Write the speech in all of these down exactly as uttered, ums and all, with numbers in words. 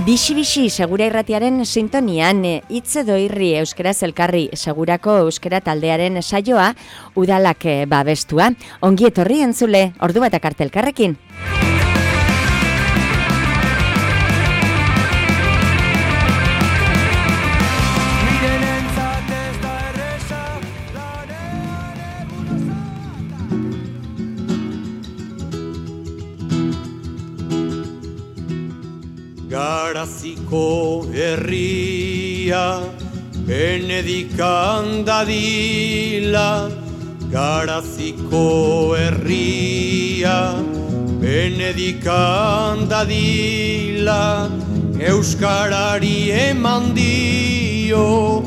Bixi-bixi segura irratiaren sintonian, hitz edo irri euskaraz elkarri segurako euskara taldearen saioa udalak babestua. Ongi etorri entzule, ordu batak arte elkarrekin. Garaziko herria benedikan dadila, Garaziko herria benedikan dadila, euskarari eman dio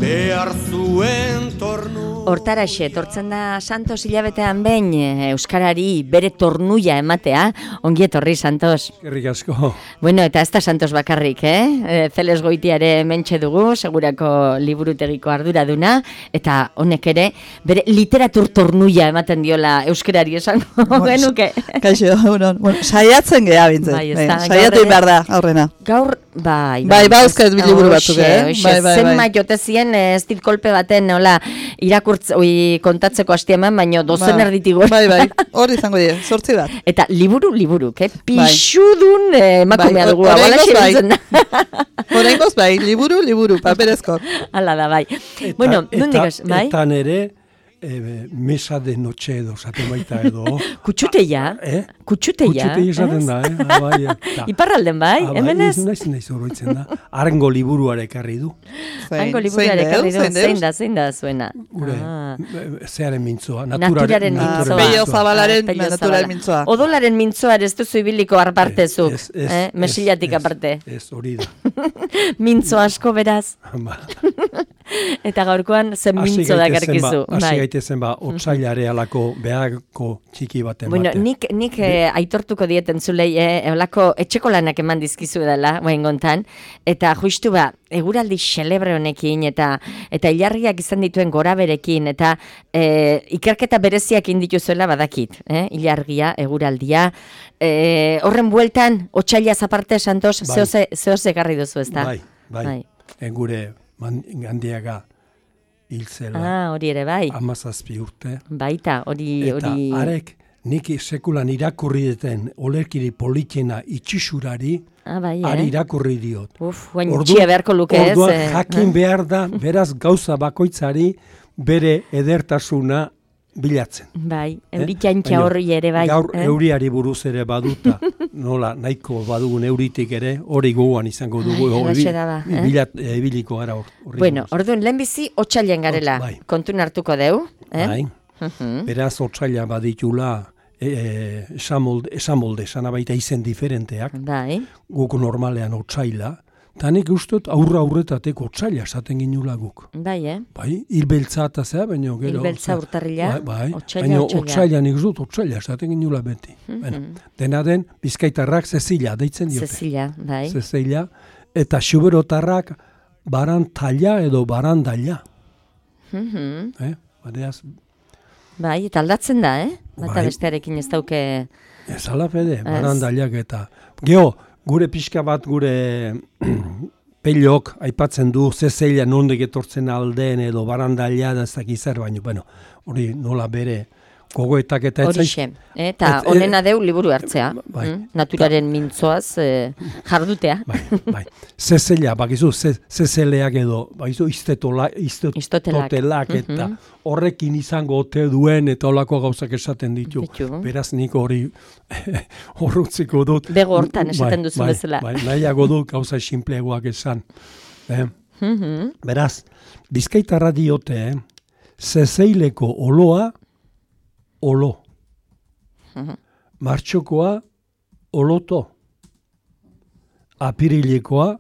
behar zuen tornu. Hortaraxe, tortzen da Santos hilabetean behin euskarari bere tornuia ematea. Ongi etorri, Santos. Eskerrik asko. Bueno, eta ez da Santos bakarrik, eh? Zeles Goitiare mentxe dugu, segurako liburutegiko arduraduna, eta honek ere bere literatur tornuia ematen diola euskarari esango genuke. Kaixo, bueno, saiatzen geha bintzen. Bai, ez da. Saiatu behar da, aurrena. Gaur, bai. Bai, bai, euskaz biliburu batzuk, eh? Bai, bai, zenma jotezien ez dit kolpe baten, nola, irakurtz, oi, kontatzeko hastia eman, baino dozen Ba, erditigo. Bai, bai, hori izango die, sortzi bat. Eta liburu, liburu, ke? Pixudun eh, emakumea Bai, dugu. or- Abala oraingoz bai. xebiltzen. Oraingoz bai, liburu, liburu, paperezko. Hala da, bai. Eta, Bueno, nondik ez, eta, bai? Eta nere, e, mesa de noche edo, zaten baita edo. Kutxuteia, Eh? kutxuteia. Kutxutei esaten da, eh? Ah, bai, eta. Iparralden bai, Ah, bai, hemen ez? Naiz, naiz oroitzen da. Arengo liburuare ekarri du. Hango liburuare ekarri du, zein da, zein da zuena. Gure, Ah. e, zearen mintzoa. Naturaren Ah, mintzoa. Pello zabalaren, Pello natural zabala. mintzoa. Odolaren mintzoa ez duzu ibiliko arpartezuk, Ez, ez, eh? ez, Mesillatik ez, aparte. Ez, hori da. Mintzo asko beraz. Ba. Eta gaurkoan zen Hasi mintzo da gaitezen ba, garkizu. hasi gaitezen ba, otsailare alako beharko txiki baten Bueno, baten. nik, nik eh, aitortuko dieten zulei, eh, eolako etxeko lanak eman dizkizu dela, guain gontan, eta justu ba, eguraldi xelebre honekin, eta eta ilargiak izan dituen goraberekin, eta eh, ikerketa bereziak indituzuela badakit, eh? Ilargia, eguraldia, eh, horren bueltan, otsailaz aparte, Santos, Bai. zehoze, zehoze ekarri duzu, ezta? Bai, bai, Bai. En gure man, gandiaga hil zela. Ah, hori ere, bai. Amazazpi urte. Baita, hori... Eta hori... arek nik sekulan irakurri deten olerkiri politxena itxisurari, Ah, bai, ari eh? irakurri diot. Uf, guain Ordu- txia beharko luke ez. Orduan eh? jakin behar da, beraz gauza bakoitzari bere edertasuna bilatzen. Bai, Eh? euritxantxa Baina horri ere bai. Gaur eh? euriari buruz ere baduta, nola nahiko badugun euritik ere, hori gogoan izango dugu. Ai, hori halaxe da ba, eh? bilat, e, ibiliko gara hor- horri Bueno, buruz. orduan, lehenbizi otxailen garela, Bai. kontun hartuko deu. Eh? Bai. Mhm. Beraz, otsaila baditula e, e, esamolde, esamolde, sana baita izen diferenteak, Bai, guk normalean otsaila, eta nik ustot aurra aurretatek otsaila esaten ginula guk. bai, eh? Bai, hilbeltza eta zea, baina gero... Hilbeltza urtarrila, bai, bai, otsaila, baina otsaila. otsaila nik ustot otsaila esaten ginula beti. Bueno, dena den, bizkaitarrak Zezila deitzen diote. Zezila, bai. Zezila, eta xuberotarrak barantalla edo barandaila. Mhm. Eh? Badeaz, Bai, eta aldatzen da, eh? Bata Bai. bestearekin ez dauke... ez alapede, barandailak eta... Geo, gure pixka bat gure pelok aipatzen du Zezila nondik etortzen aldeen edo barandaila da ez dakiz zer, baino, bueno, hori nola bere gogoetak eta ez Horixe, eh? eta et- honena deu liburu hartzea. Bai. Mm? Naturaren mintzoaz eh, jardutea. Bai, bai. Zezela, bakizu, ze- zezeleak edo, bakizu, iztetola, Istotelak. iztotelak eta Mhm. horrekin izango ote duen eta olako gauzak esaten ditu. Ditu. Beraz nik hori horrutziko dut. Bego hortan esaten Bai, duzu bai, bezala. Bai, nahiago dut gauza sinpleagoak esan. Eh? Mhm. Beraz, Bizkaitarra diote, eh? Zezeileko oloa, olo. Mhm. Martxokoa, oloto. Apirilekoa,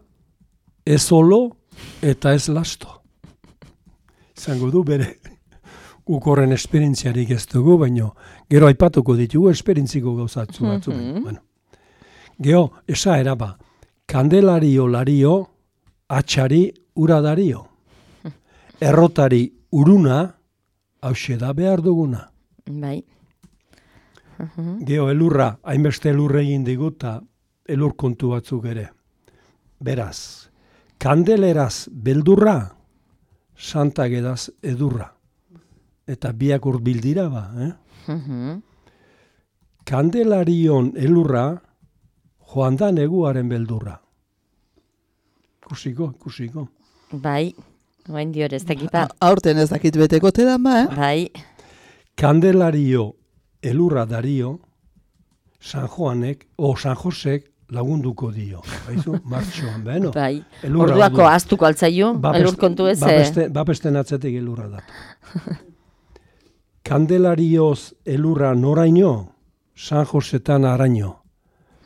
ez olo eta ez lasto. Izango du bere guk horren esperientziarik ez dugu, baino gero aipatuko ditugu esperientziko gauzatzu batzuk. Mhm. Bueno. Gero, esa eraba, kandelario lario, atxari ura dario. Errotari uruna, hause da behar duguna. Bai. Geo elurra, hainbeste elurre egin diguta, elur kontu batzuk ere. Beraz, kandeleraz beldurra, santagedaz edurra. Eta biak urbil dira ba, eh? Mhm. Kandelarion elurra, joan da neguaren beldurra. Kusiko, kusiko. Bai, oain dior ez dakipa. Aurten ez dakit beteko tedan ba, eh? Bai, Kandelario elurra dario, San Joanek, o San Josek lagunduko dio. Baizu, martxoan, beno. bai. Elurra Orduako orduan. aztuko altzaio, elur kontu ez. eh? Bapeste, bapesten atzetik elurra da. Kandelarioz elurra noraino, San Josetan araino.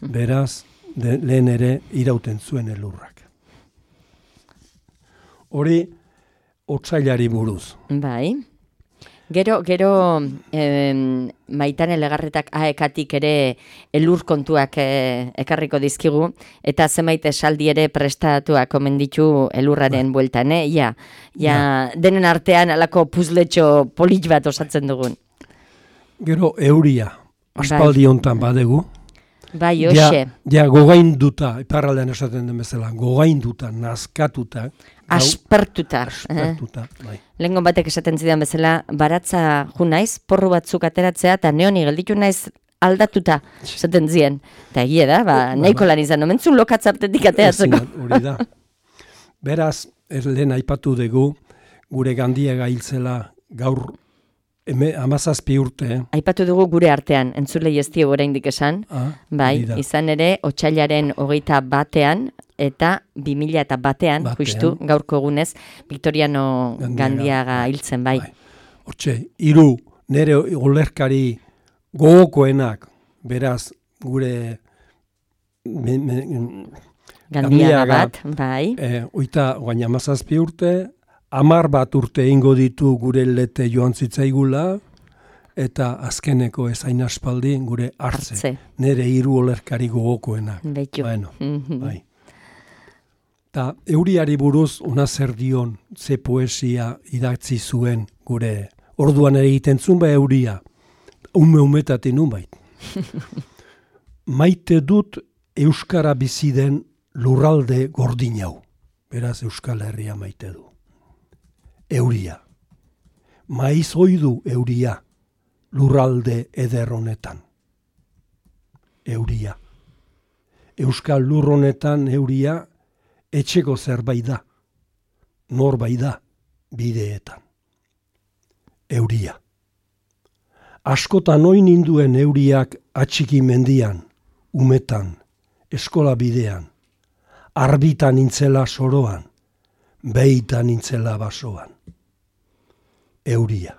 Beraz, de, lehen ere irauten zuen elurrak. Hori, otsailari buruz. Bai. Gero, gero em, Maitane Legarretak aekatik ere elur kontuak e, ekarriko dizkigu, eta zenbait esaldi ere prestatuak omen ditu elurraren bueltan, eh? Ja, ja, denen artean alako puzletxo polit bat osatzen dugun. Gero, euria, aspaldi hontan badegu. Bai, Ja, hoxe, ja gogainduta, iparraldean esaten den bezala, gogainduta, nazkatuta, gau- aspertuta. eh? aspertuta, bai. Lengon batek esaten zidan bezala, baratza ju naiz, porru batzuk ateratzea, eta neoni gelditu naiz aldatuta, esaten zien. Eta egia da, ba, nahiko lan izan, omentzun lokatzartetik ateratzeko. Ezin, hori da. Beraz, ez lehen aipatu dugu, gure gandiaga hiltzela gaur eme, amazazpi urte, eh? Aipatu dugu gure artean, entzulei ez dio oraindik esan, Ah, bai, hori da. izan ere, otsailaren hogeita batean, eta bi mila eta batean, Batean. justu, gaurko egunez, Victoriano Gandiaga, Gandiaga bai, hiltzen, bai. bai. Hortxe, hiru nere olerkari gogokoenak, beraz, gure me, me, Gandiaga Gandiaga, bat, bai. eh, oita, guain amazazpi urte, amar bat urte ingo ditu gure lete joan zitzaigula, eta azkeneko ezain aspaldi gure hartze. Hartze. Nere hiru olerkari gogokoenak. Beitu. Bueno, Mhm. bai. Ta euriari buruz ona zer dion, ze poesia idatzi zuen gure orduan egiten zuen ba euria. Ume umetatik nunbait. Maite dut euskara bizi den lurralde gordin hau. Beraz Euskal Herria maite du. Euria. Maiz oidu euria lurralde eder honetan. Euria. Euskal lur honetan euria etxeko zerbait da. Norbait da bideetan. Euria. Askotan oin ninduen euriak atxiki mendian, umetan, eskola bidean, arbitan nintzela soroan, behitan nintzela basoan. Euria.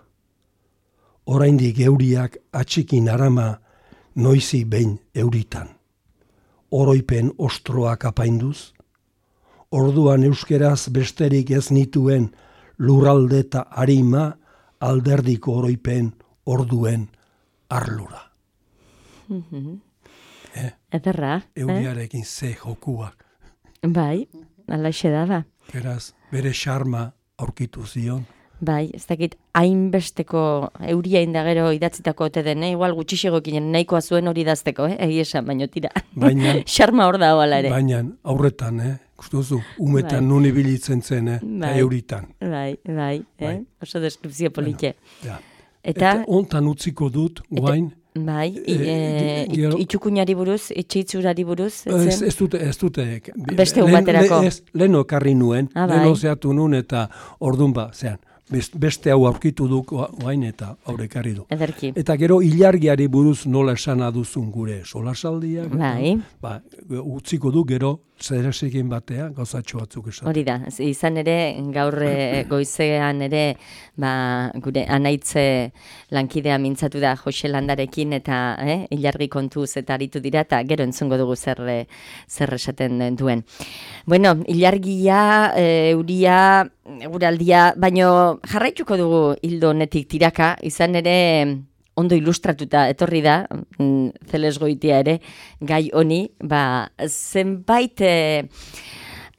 Oraindik euriak atxikin arama noizi behin euritan. Oroipen ostroak apainduz, orduan euskeraz besterik ez nituen lurralde eta harima alderdiko oroipen orduen arlura. eh? Ederra, eh? Euriarekin ze jokuak. Bai, alaxe da, ba. Beraz, bere xarma aurkitu zion. Bai, ez dakit hainbesteko euria indagero idatzitako ote den, eh? Igual gutxixegokin nahikoa zuen hori idazteko, eh? Egi esan, baino tira. Baina, Xarma hor da hoala ere. baina aurretan, eh? Kustuzu, umetan Bai. nun ibilitzen zen, eh? Eta Bai. euritan. Bai, bai, eh? Bai. Oso deskripzio politxe. Ja. Eta, Eta ontan utziko dut, guain, bai, i, eh, eh, it- gero- itxukunari buruz, itxitzurari buruz, ez, zen? ez dute, ez dute. Beste un baterako. ez, leheno ekarri nuen, Ah, bai. leheno zeatu nuen eta ordun ba, zean, best- beste hau aurkitu duk guain eta aurre ekarri du. Ederki. Eta gero ilargiari buruz nola esan aduzun gure solasaldiak. Bai. Ba, utziko du gero zeresekin batea gauzatxo batzuk esan. Hori da, ez- izan ere, gaur eh, goizean ere, ba, gure anaitze lankidea mintzatu da Jose Landarekin eta eh, ilargi kontuz eta aritu dira, eta gero entzungo dugu zer, eh, zer esaten duen. Bueno, ilargia, eh, euria, eguraldia, baino jarraituko dugu hildo honetik tiraka, izan ere ondo ilustratuta etorri da, mm, Zeles Goitia ere, gai honi, ba, zenbait eh,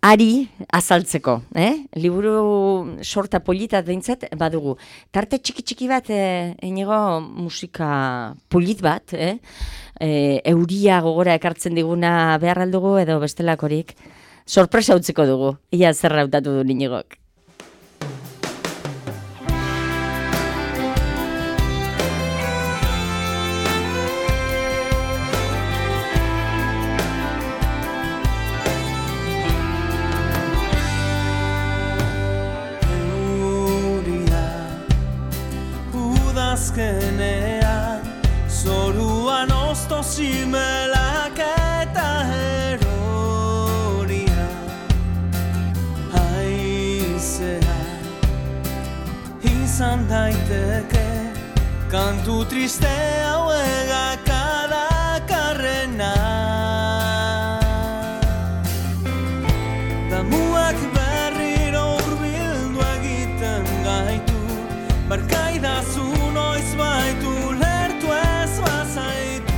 ari azaltzeko, eh? Liburu sorta polita deintzat badugu. Tarte txiki-txiki bat, eh, inigo musika polit bat, eh? Eh, euria gogora ekartzen diguna behar aldugu edo bestelakorik. sorpresa utziko dugu. Ia zer hautatu du Iñigok. Azkenean, zoruan ozto zimelak eta eroria. Haizea, izan daiteke, kantu triste hauegak adakarrena. Damuak berriro urbildu egiten gaitu, barkaidazu noiz baitu lertu ez bazaitu.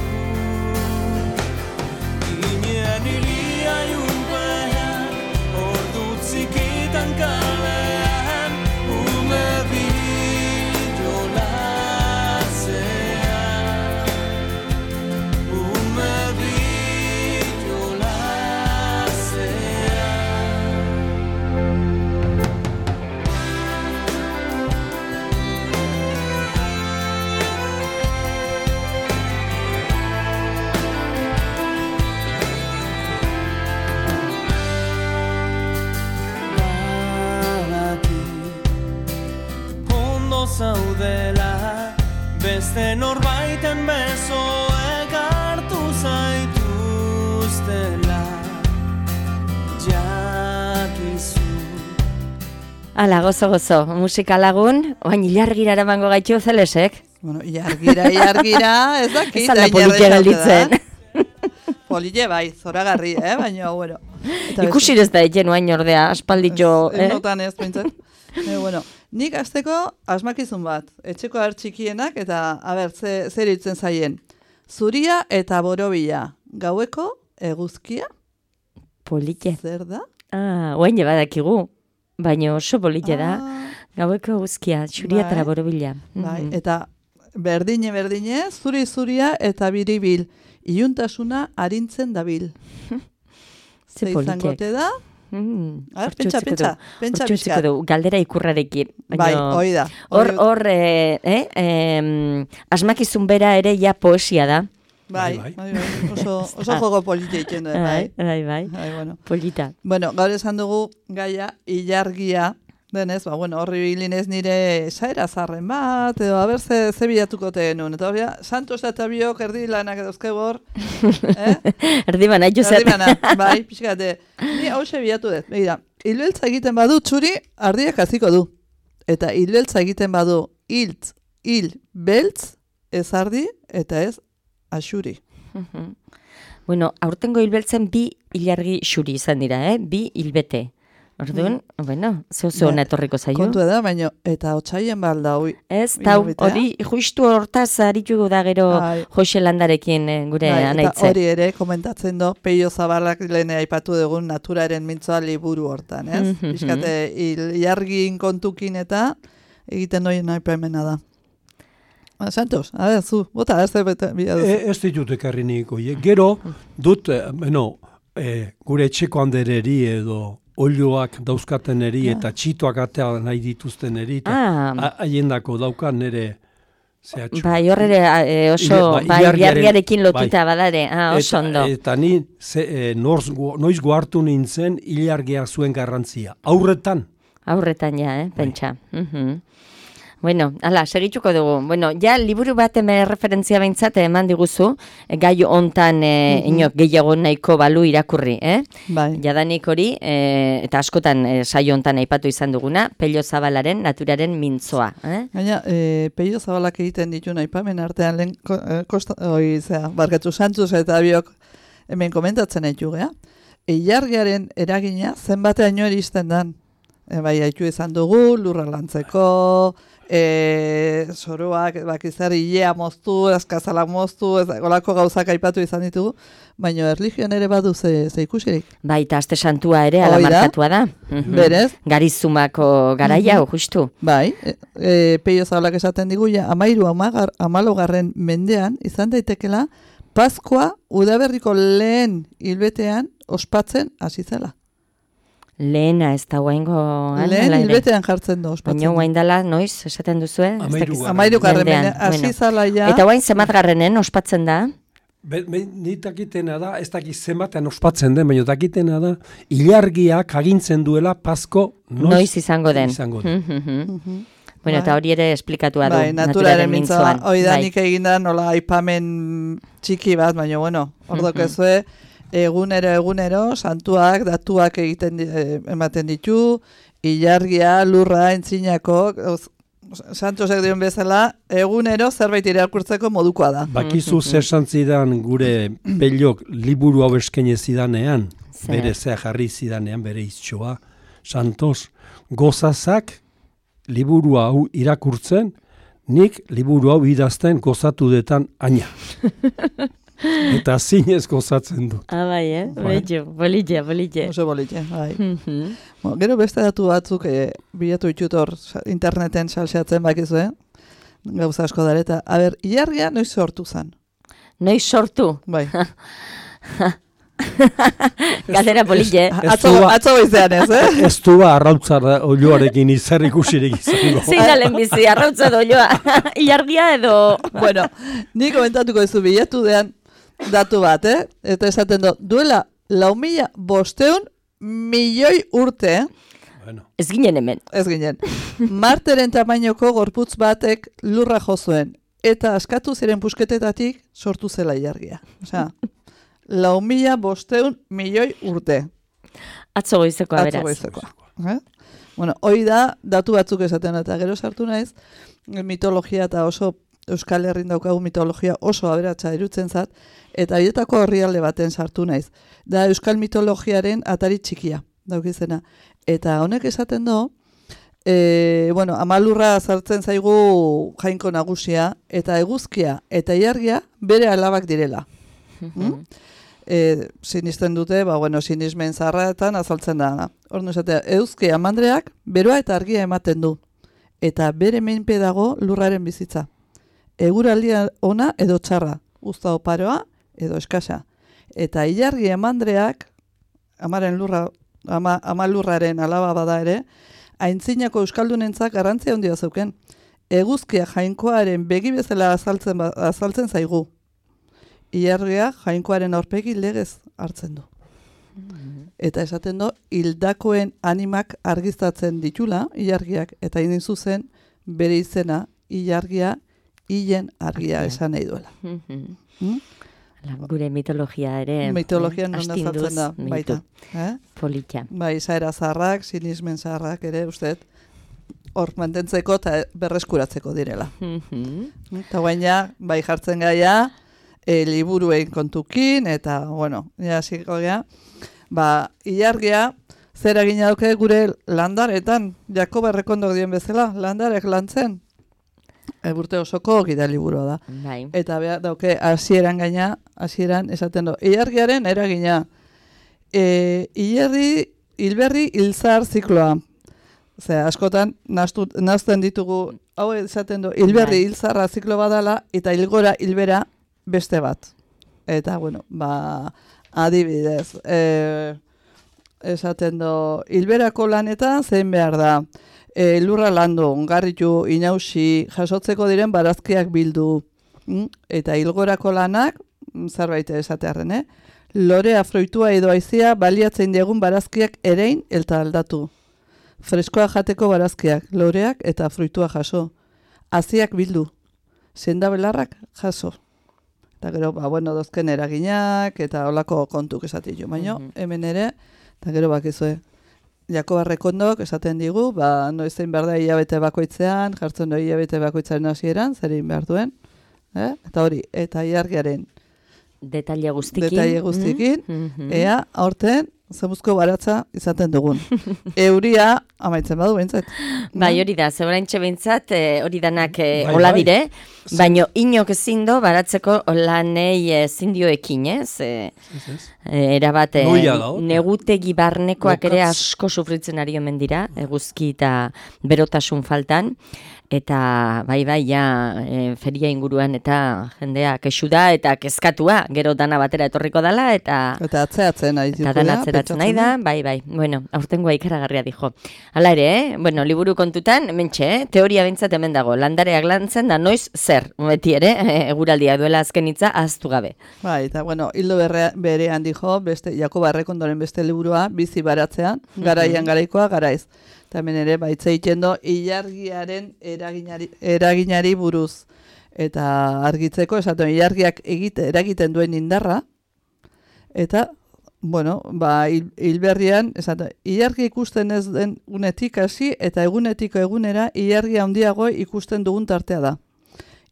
Ginen ilia junpean, ordu txikitan kalean, ume bilolatzean, ume zaudela, beste norbaiten besoek hartu zaituztela, jakizu. Ala, gozo, gozo, musika lagun, oain ilargira eramango gaitu zelesek? Bueno, ilargira, ilargira, ez dakit. Ez alda politia galditzen. Polile bai, zoragarri, eh? Baina, bueno. Ikusi ez da egen oain ordea, aspalditxo. Ez notan ez, pintzen. E, bueno, nik azteko asmakizun bat, etxeko hartxikienak eta, a ber, ze, zer itzen zaien. Zuria eta borobila, gaueko eguzkia? Polite. Zer da? Ah, oain badakigu, baina oso polite da. Ah. Gaueko eguzkia, zuria eta borobila. Bai, mm-hmm. Eta berdine, berdine, zuri zuria eta biribil. Iuntasuna arintzen dabil. Ze izangote da? Mm, Ar, pentsa, pentsa, pentsa bizkat. Galdera ikurrarekin. Bai, hoi da. Hor, hor, eh, eh, eh, asmakizun bera ere ja poesia da. Bai, bai, bai, bai. Oso, oso jogo polita iten du, bai. Bai, bai, bai, bueno. Polita. Bueno, gaur esan dugu gaia, ilargia, denez, ba, bueno, horri bilinez nire saera zarren bat, edo, haber, ze, ze bilatuko tenun. Eta hori, Santos eta biok erdi lanak edozkegor. Eh? Erdi bana, juzet. Erdi bana, bai, pixkate. Ni hause bilatu dut. Begira, hilbeltza egiten badu txuri, ardiak haziko du. Eta hilbeltza egiten badu hiltz, hil, beltz, ez ardi, eta ez axuri. Bueno, aurtengo hilbeltzen bi ilargi xuri izan dira, eh? Bi hilbete. Orduan, mm. bueno, zeu-zeu hona etorriko zaio. Kontu da, baina, eta otxaien balda, hui. Ez, tau, hori, justu hortaz haritugu da gero Jose Landarekin gure bai, anaitze. Eta hori ere, komentatzen do, Peio Zabalak lehen aipatu dugun naturaren mintzoa liburu hortan, ez? Mm -hmm. Bizkate, ilargin kontukin eta egiten doien aipamena da. Santos, a ver, zu, bota, ez da bete. E, ez ditut ekarri niko, gero, dut, eh, bueno, eh, gure etxeko handereri edo olioak dauzkaten eri eta txitoak atea nahi dituzten eri, eta haiendako daukan nere zehatxu. Bai, horre e, oso, bai, ilargiarekin lotuta bai. Badare, ah, oso ondo. Eta, eta ni, ze, e, norz, noiz goartu nintzen ilargia zuen garrantzia. Aurretan? Aurretan, ja, eh, pentsa. Bai. Uh-huh. Bueno, ala, segituko dugu. Bueno, ja, liburu bat eme referentzia behintzat eman diguzu, e, gai hontan e, mm-hmm. inok gehiago nahiko balu irakurri, eh? Bai. Jadanik hori, e, eta askotan e, saio hontan aipatu izan duguna, Pello Zabalaren naturaren mintzoa, eh? Gaina, e, Pello Zabalak egiten ditu aipamen artean lehen, e, kosta, oi, zera, barkatu Santos eta biok hemen komentatzen ditu, gea? Ilargiaren eragina zenbateaino eristen dan. E, bai, haitu izan dugu, lurra lantzeko, E, soroak, bakizar, ilea moztu, azkazala moztu, ez, olako gauzak aipatu izan ditugu, baina erlijioan ere badu ze, ze ikusirik. Baita, aste santua ere, ala markatua da. Mm-hmm. Berez. Garizumako garaia, mm-hmm. justu. Bai, e, e, Peio Zabalak esaten digu, ja, amairu amagar, amalogarren mendean, izan daitekela, Paskua udaberriko lehen hilbetean ospatzen hasi zela. Lehena ez da guaingo... Lehen hilbetean jartzen du, ospatzen. Baina guain dela, noiz, esaten duzue? Amairugarren, baina hasi zala ja... Eta guain zematgarrenen ospatzen da? Be, be, ni dakitena da, ez dakit zematean ospatzen den, baina dakitena da, ilargiak agintzen duela Pasko noiz, noiz izango den. Izango den. Bueno, eta hori ere esplikatua du. Bai, naturaren mintzoa. Hoi da nik eginda nola aipamen txiki bat, baina bueno, ordok ezue, egunero, egunero, santuak, datuak egiten ematen ditu, ilargia, lurra, entzinako, santosek dion bezala, egunero zerbait irakurtzeko modukoa da. Bakizu zer santzidan gure pelok liburu hau eskaini zidanean, bere zea jarri zidanean, bere iztsoa, santos, gozazak liburu hau irakurtzen, nik liburu hau idazten gozatu detan aina. Eta zinez gozatzen dut. Ah, bai, eh? Betxo, bolitxe, bolitxe. Oso bolitxe, bai. Bueno, gero beste datu batzuk e, bilatu ditutor interneten salseatzen bakizu, eh? Gauza asko dara, eta, a ber, ilargia noiz sortu zen? Noiz sortu? Bai. Galdera bolitxe. Atzo goizean ez, eh? Ez du ba, arrautzara olioarekin izar ikusirik izango. Zein da lehenbizi, arrautza da olioa. Ilargia edo... Bueno, ni komentatuko ez du bilatu dean, datu bat, eh? Eta esaten du, duela lau mila bosteun milioi urte, eh? Bueno. Ez ginen hemen. Ez ginen. Marteren tamainoko gorputz batek lurra jo zuen, eta askatu ziren pusketetatik sortu zela ilargia. Osea, lau mila bosteun milioi urte. Atzo goizekoa, beraz. Atzo goizekoa. Eh? Bueno, hoi da, datu batzuk esaten, eta gero sartu naiz, mitologia eta oso Euskal Herrin daukagu mitologia oso aberatsa irutzen zat, eta horietako herrialde baten sartu naiz. Da Euskal mitologiaren atari txikia, daukizena. Eta honek esaten do, e, bueno, amalurra sartzen zaigu jainko nagusia, eta eguzkia eta ilargia bere alabak direla. hmm? e, sinisten dute, ba, bueno, sinismen zarraetan azaltzen da. Horno esatea, eguzkia amandreak beroa eta argia ematen du. Eta bere menpe dago lurraren bizitza. Eguraldia ona edo txarra, uzta oparoa edo eskasa. Eta ilargi emandreak, amaren lurra, ama, ama lurraren alaba bada ere, aintzinako euskaldunentzak garrantzia handia zeuken. Eguzkia jainkoaren begi bezala azaltzen, azaltzen zaigu. Ilargia jainkoaren aurpegi legez hartzen du. Eta esaten du, hildakoen animak argiztatzen ditula, ilargiak, eta indin zuzen bere izena, ilargia, hilen argia esan nahi duela. hmm? Gure mitologia ere. Mitologia non azaltzen da, baita. Eh? Politia. Bai, izaera zaharrak, sinismen zaharrak ere, uste, hor mantentzeko eta berreskuratzeko direla. Eta guaina, bai jartzen gaia, e, liburuen kontukin, eta, bueno, ja, ziko gea, ba, ilargia, zer egina dauke gure landaretan, Jakoba Errekondok dien bezala, landarek lantzen, Eburte osoko gida liburua da. Bai. Eta beha, dauke, hasieran gaina, hasieran esaten du. Ilargiaren eragina. E, ilarri, hilberri, hilzar zikloa. Osea, askotan, nazten ditugu, hau esaten du, hilberri, hilzarra ziklo badala, eta hilgora, hilbera, beste bat. Eta, bueno, ba, adibidez, e, esaten du, hilberako lanetan zein behar da. E, lurra landu, ongarritu, inausi, jasotzeko diren barazkiak bildu. Mm? Eta hilgorako lanak, zerbait esatearren, eh? Lorea, froitua edo aizia baliatzen digun barazkiak erein eta aldatu. Freskoa jateko barazkiak, loreak eta fruitua jaso. Aziak bildu, senda belarrak jaso. Eta gero, ba, bueno, dozken eraginak eta olako kontuk esatitu. Baina, mm-hmm. hemen ere, eta gero bakizue. Jakoba Errekondok esaten digu, ba, noizein behar da hilabete bakoitzean, jartzen du hilabete bakoitzaren hasieran, zerin behar duen. Eh? Eta hori, eta ilargiaren detaile guztikin, detaile guztikin mm-hmm. ea, aurten, zemuzko baratza izaten dugun. Euria, amaitzen badu behintzat. Bai, hori da, zebaraintxe behintzat, e, hori danak e, bai, hola bai. dire, baino inok ezin do baratzeko lanei e, zindioekin, ez? E, e, erabat, e, negutegi barnekoak ere asko sufritzen ari omen dira, eguzki eta berotasun faltan. eta bai bai ja e, feria inguruan eta jendea kexu da eta kezkatua, gero dana batera etorriko dala eta Eta atzeatzen nahi eta dana atzeratzen nahi da, bai bai. Bueno, aurtengoa ikaragarria dijo. Hala ere, eh? Bueno, liburu kontutan, mentxe, eh? Teoria bintzat hemen dago, landareak lantzen da noiz zer, beti ere, eguraldiak duela azken hitza ahaztu gabe. Bai, eta bueno, hildo berre, berean dijo, beste, Jakoba Errekondoren beste liburua, bizi baratzean, garaian garaikoa, garaiz. Eta hemen ere, baitza egiten do, ilargiaren eraginari, eraginari buruz. Eta argitzeko, esaten, ilargiak egite, eragiten duen indarra, eta, bueno, ba, hil, hilberrian, esaten, ilargi ikusten ez den unetik hasi, eta egunetiko egunera, ilargi handiago ikusten dugun tartea da.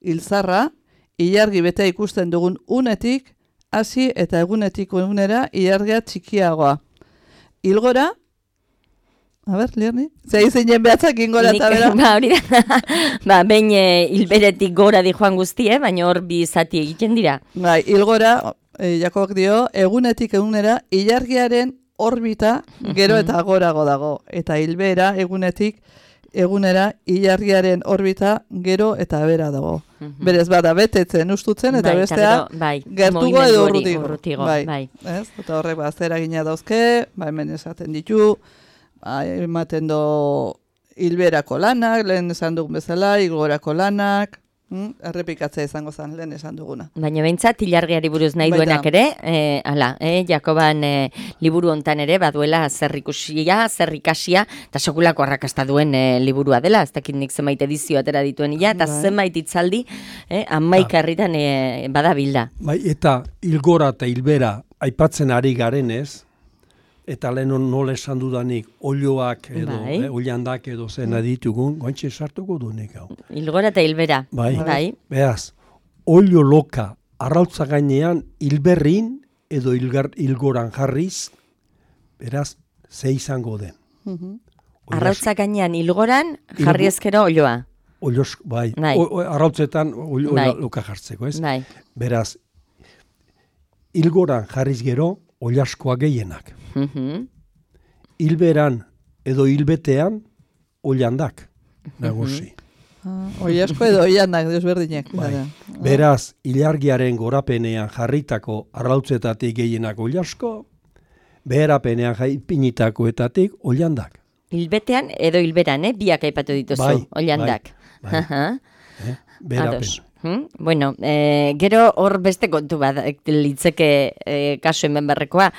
Hilzarra, ilargi bete ikusten dugun unetik, hasi eta egunetiko egunera, ilargia txikiagoa. Hilgora, a ber, Lierni? Zei zeinen behatzak ingora eta bera? Ba, hori da. Ba, behin e, hilberetik gora di joan guztie, baina hor bi zati egiten dira. Bai, hilgora, e, Jakobak dio, egunetik egunera, ilargiaren orbita gero eta gorago dago. Eta hilbera, egunetik egunera, ilargiaren orbita gero eta bera dago. Berez bada betetzen ustutzen, eta Bai, bestea gero, bai, gertugo mugimendu edo hori, urrutigo. urrutigo, Bai, bai. ez? Eta horrek ba, zer egina dauzke, ba, hemen esaten ditu, ba, ematen do hilberako lanak, lehen esan dugun bezala, igorako lanak, hm? errepikatzea izango zen lehen esan duguna. Baina behintzat, ilargiari buruz nahi Baita. duenak ere, e, ala, e, Jakoban e, liburu hontan ere, baduela zer ikusia, zer ikasia, eta sekulako arrakasta duen e, liburua dela, ez dakit nik zenbait edizio atera dituen ila, eta Bai. zenbait itzaldi, e, amaika herritan e, badabilda. Bai, eta hilgora eta hilbera aipatzen ari garenez, eta lehen nola esan dudanik, olioak edo, Bai. eh, oliandak edo zena ditugun, gointxe sartuko duenik hau. Hilgora eta hilbera. Bai. Bai. Beaz, olio loka arrautza gainean hilberrin edo hilgar, hilgoran jarriz, beraz, ze izango den. Mhm. Olias- Arrautza gainean hilgoran, Hilgo- jarri ezkero olioa. Olios, bai, Bai. O- o- arrautzetan olio Bai. loka jartzeko, ez? Bai. Beraz, hilgoran jarriz gero, oliaskoa gehienak. Mhm. Hilberan edo hilbetean, oliandak, nagusi. Ah, oi asko edo oianak, desberdinek. Bai. Bada. Beraz, ilargiaren gorapenean jarritako arrautzetatik gehienak oliasko, beherapenean jaipinitakoetatik oliandak. Hilbetean edo hilberan, eh? Biak aipatu dituzu, Bai, oliandak. bai, bai. Aha. Eh? Beherapen. Ados. Hmm? Bueno, eh, gero hor beste kontu bat litzeke eh, kasu hemen berrekoa.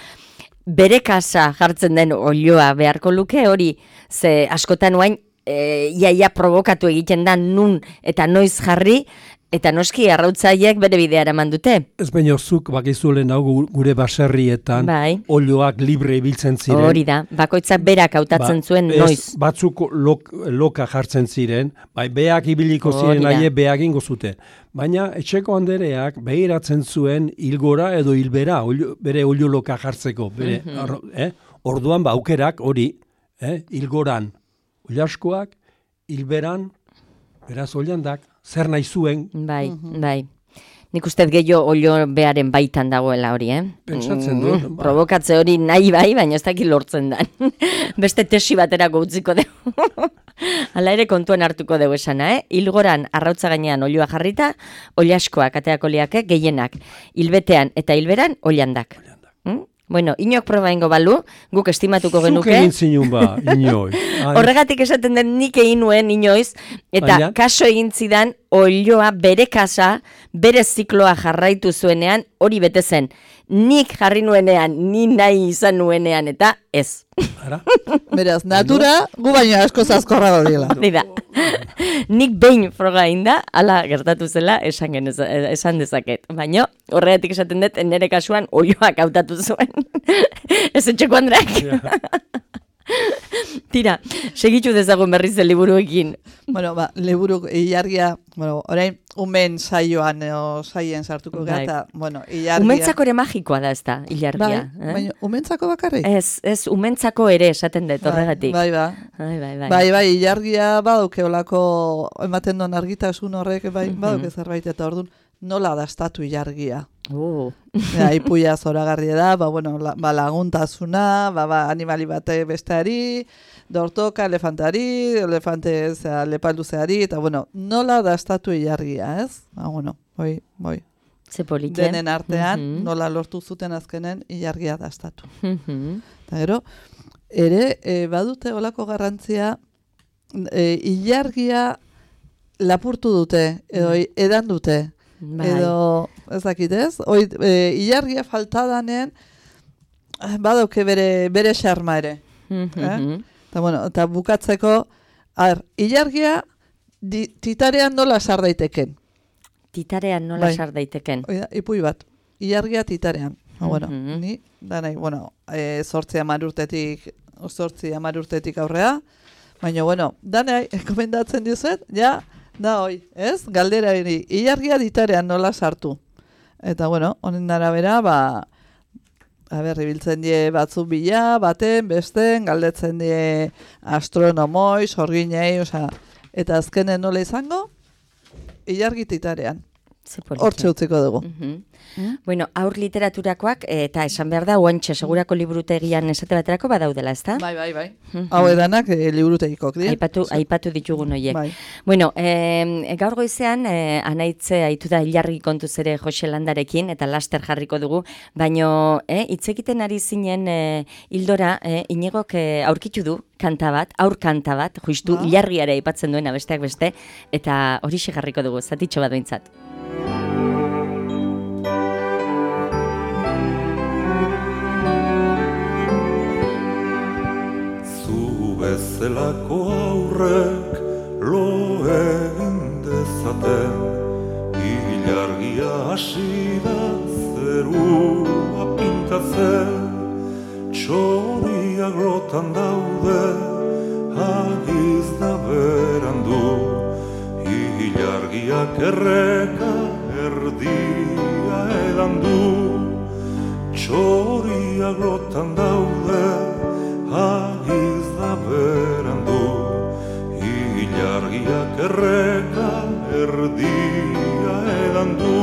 Bere kasa jartzen den olioa beharko luke hori, ze askotan oain e, iaia provokatu egiten da nun eta noiz jarri, eta noski arrautzaiek bere bidea eraman dute. Ez baino zuk bakizulen hau gu- gure baserrietan Bai. olioak libre ibiltzen ziren. Hori da, bakoitzak berak hautatzen Ba, zuen ez, noiz. Batzuk lok, loka jartzen ziren, bai, beak ibiliko Hori ziren da. aie beak ingo zuten. Baina etxeko handereak behiratzen zuen hilgora edo hilbera, olio, bere olio loka jartzeko. Bere, Mhm. arro, eh? Orduan ba, aukerak hori, eh? hilgoran oliaskoak, hilberan, beraz oliandak, zer nahi zuen, Bai, bai. Nik uste gehiago olio bearen baitan dagoela hori, eh? Pentsatzen dut, Mm, ba. Provokatze hori nahi bai, baina ez dakit lortzen dan. Beste tesi baterako utziko dugu. Hala ere kontuan hartuko dugu esana, eh? Hilgoran arrautza gainean olioa jarrita, oliaskoak ateako liake gehienak. Hilbetean eta hilberan oliandak. Mm? Bueno, inok proba ingo balu, guk estimatuko zuk genuke. egin zinun ba, inoi. Ai, Horregatik esaten den nik egin nuen inoiz, eta Baina? kaso egin zidan olioa bere kasa, bere zikloa jarraitu zuenean, hori bete zen. Nik jarri nuenean, ni nahi izan nuenean, eta ez. ara? Beraz, natura, gu baino asko zazkorra dodiela. Hori da. Nik behin froga inda, ala gertatu zela, esan, genez, esan dezaket. Baina horregatik esaten dut, nire kasuan olioak hautatu zuen. Ez etxeko Andreak. Tira, segitu dezagun berriz el liburuekin. Bueno, ba, liburu ilargia, bueno, orain umen saioan o saien sartuko gara, Bai. eta, bueno, ilargia. Umentzako ere magikoa da ez da, ilargia. Bai, eh? baina umentzako bakarrik? Ez, ez, umentzako ere esaten dut horregatik. Bai, bai, Bai, bai, bai. bai, bai, ilargia baduke olako, ematen don argitasun horrek, bai, baduke zerbait, eta orduan, nola dastatu ilargia? Uh. Ja, ipuia zoragarria da, ba, bueno, la, ba, laguntasuna, ba, ba, animali bate besteari, dortoka, elefantari, elefante zera, lepalduzeari, eta bueno, nola dastatu ilargia, ez? Ba, bueno, hoi, hoi. Ze politia. Denen artean, Mhm. nola lortu zuten azkenen ilargia dastatu. Mhm. Eta gero, ere, e, badute olako garrantzia, e, ilargia lapurtu dute, edo edan dute, Bai. edo ez dakit ez, hoi, e, ilargia faltadanen, eh, badauke bere, bere xarma ere. Mhm. Eta bueno, eta bukatzeko, ar, ilargia di, titarean nola sar daiteken. Titarean nola Bai. sar daiteken. Hoi da, ipui bat, ilargia titarean. Ha, bueno, Mhm. ni, da nahi, bueno, e, zortzi hamar urtetik, zortzi hamar urtetik aurrea, baina, bueno, da nahi, komendatzen dizuet, ja, da hoi, ez? Galdera hori, ilargia titarean nola sartu. Eta, bueno, honen arabera, ba, a ber, ibiltzen die batzuk bila, baten, besten, galdetzen die astronomoi, sorginei, osea, eta azkenen nola izango, ilargi titarean. Ze politia. Hortxe utziko dugu. Mhm. Bueno, aur literaturakoak, eta esan behar da, oantxe segurako liburutegian esate baterako badaudela, ezta? Bai, bai, bai. Mhm. Hau edanak e, liburutegikoak dira. Aipatu, aipatu ditugun horiek. Bai. Bueno, eh, gaur goizean, eh, anaitze aitu da ilargi kontuz ere Jose Landarekin, eta laster jarriko dugu, baino, eh, hitz egiten ari zinen eh, hildora, eh, Iñigok eh, aurkitu du kanta bat, aur kanta bat, justu Ah. ilargiare aipatzen duena besteak beste, eta horixe jarriko dugu, zatitxo bat behintzat. Zu bezalako aurrek lo egin dezaten, ilargia hasi da zerua pintatzen, txoriak lotan daude, hagiz da berandu, ilargiak erreka erdia edan du, txoriak lotan daude, hagiz da berandu, ilargiak erreka erdia edan du.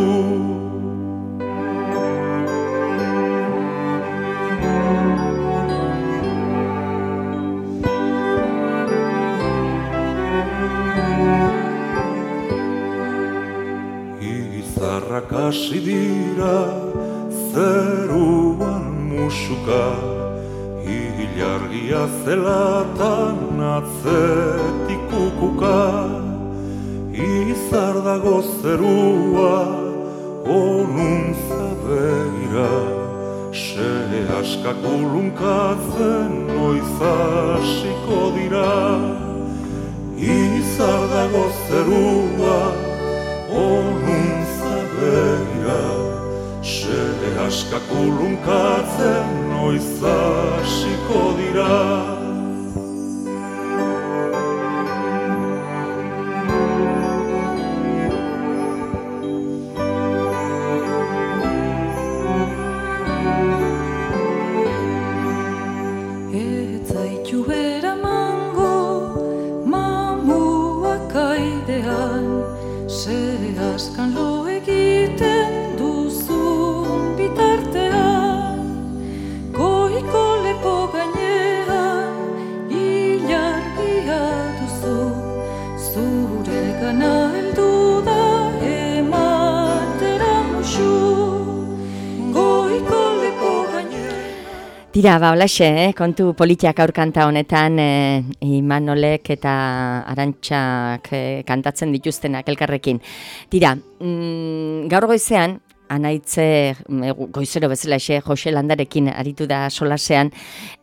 Izarrak hasi dira zeruan musuka, ilargia zelatan atzetik kukuka, izar dago zerua onuntza begira, se askak ulunkatzen noiz hasiko dira, izar dago zerua onuntza begira, se askak ulunkatzen noiz hasiko dira. Ez zaitu eramango mamuak aidean, ze askan lo egiten duzun bitartean, goiko lepo gainean ilargia duzu, zure gana heldu da ematera musu, goiko lepo gainean. Tira, ba, holaxe, eh? Kontu politiak aur kanta honetan, eh, Imanolek eta Arantxak eh, kantatzen dituztenak elkarrekin. Tira, mm, gaur goizean, anaitze mm, goizero bezalaxe Jose Landarekin aritu da solasean,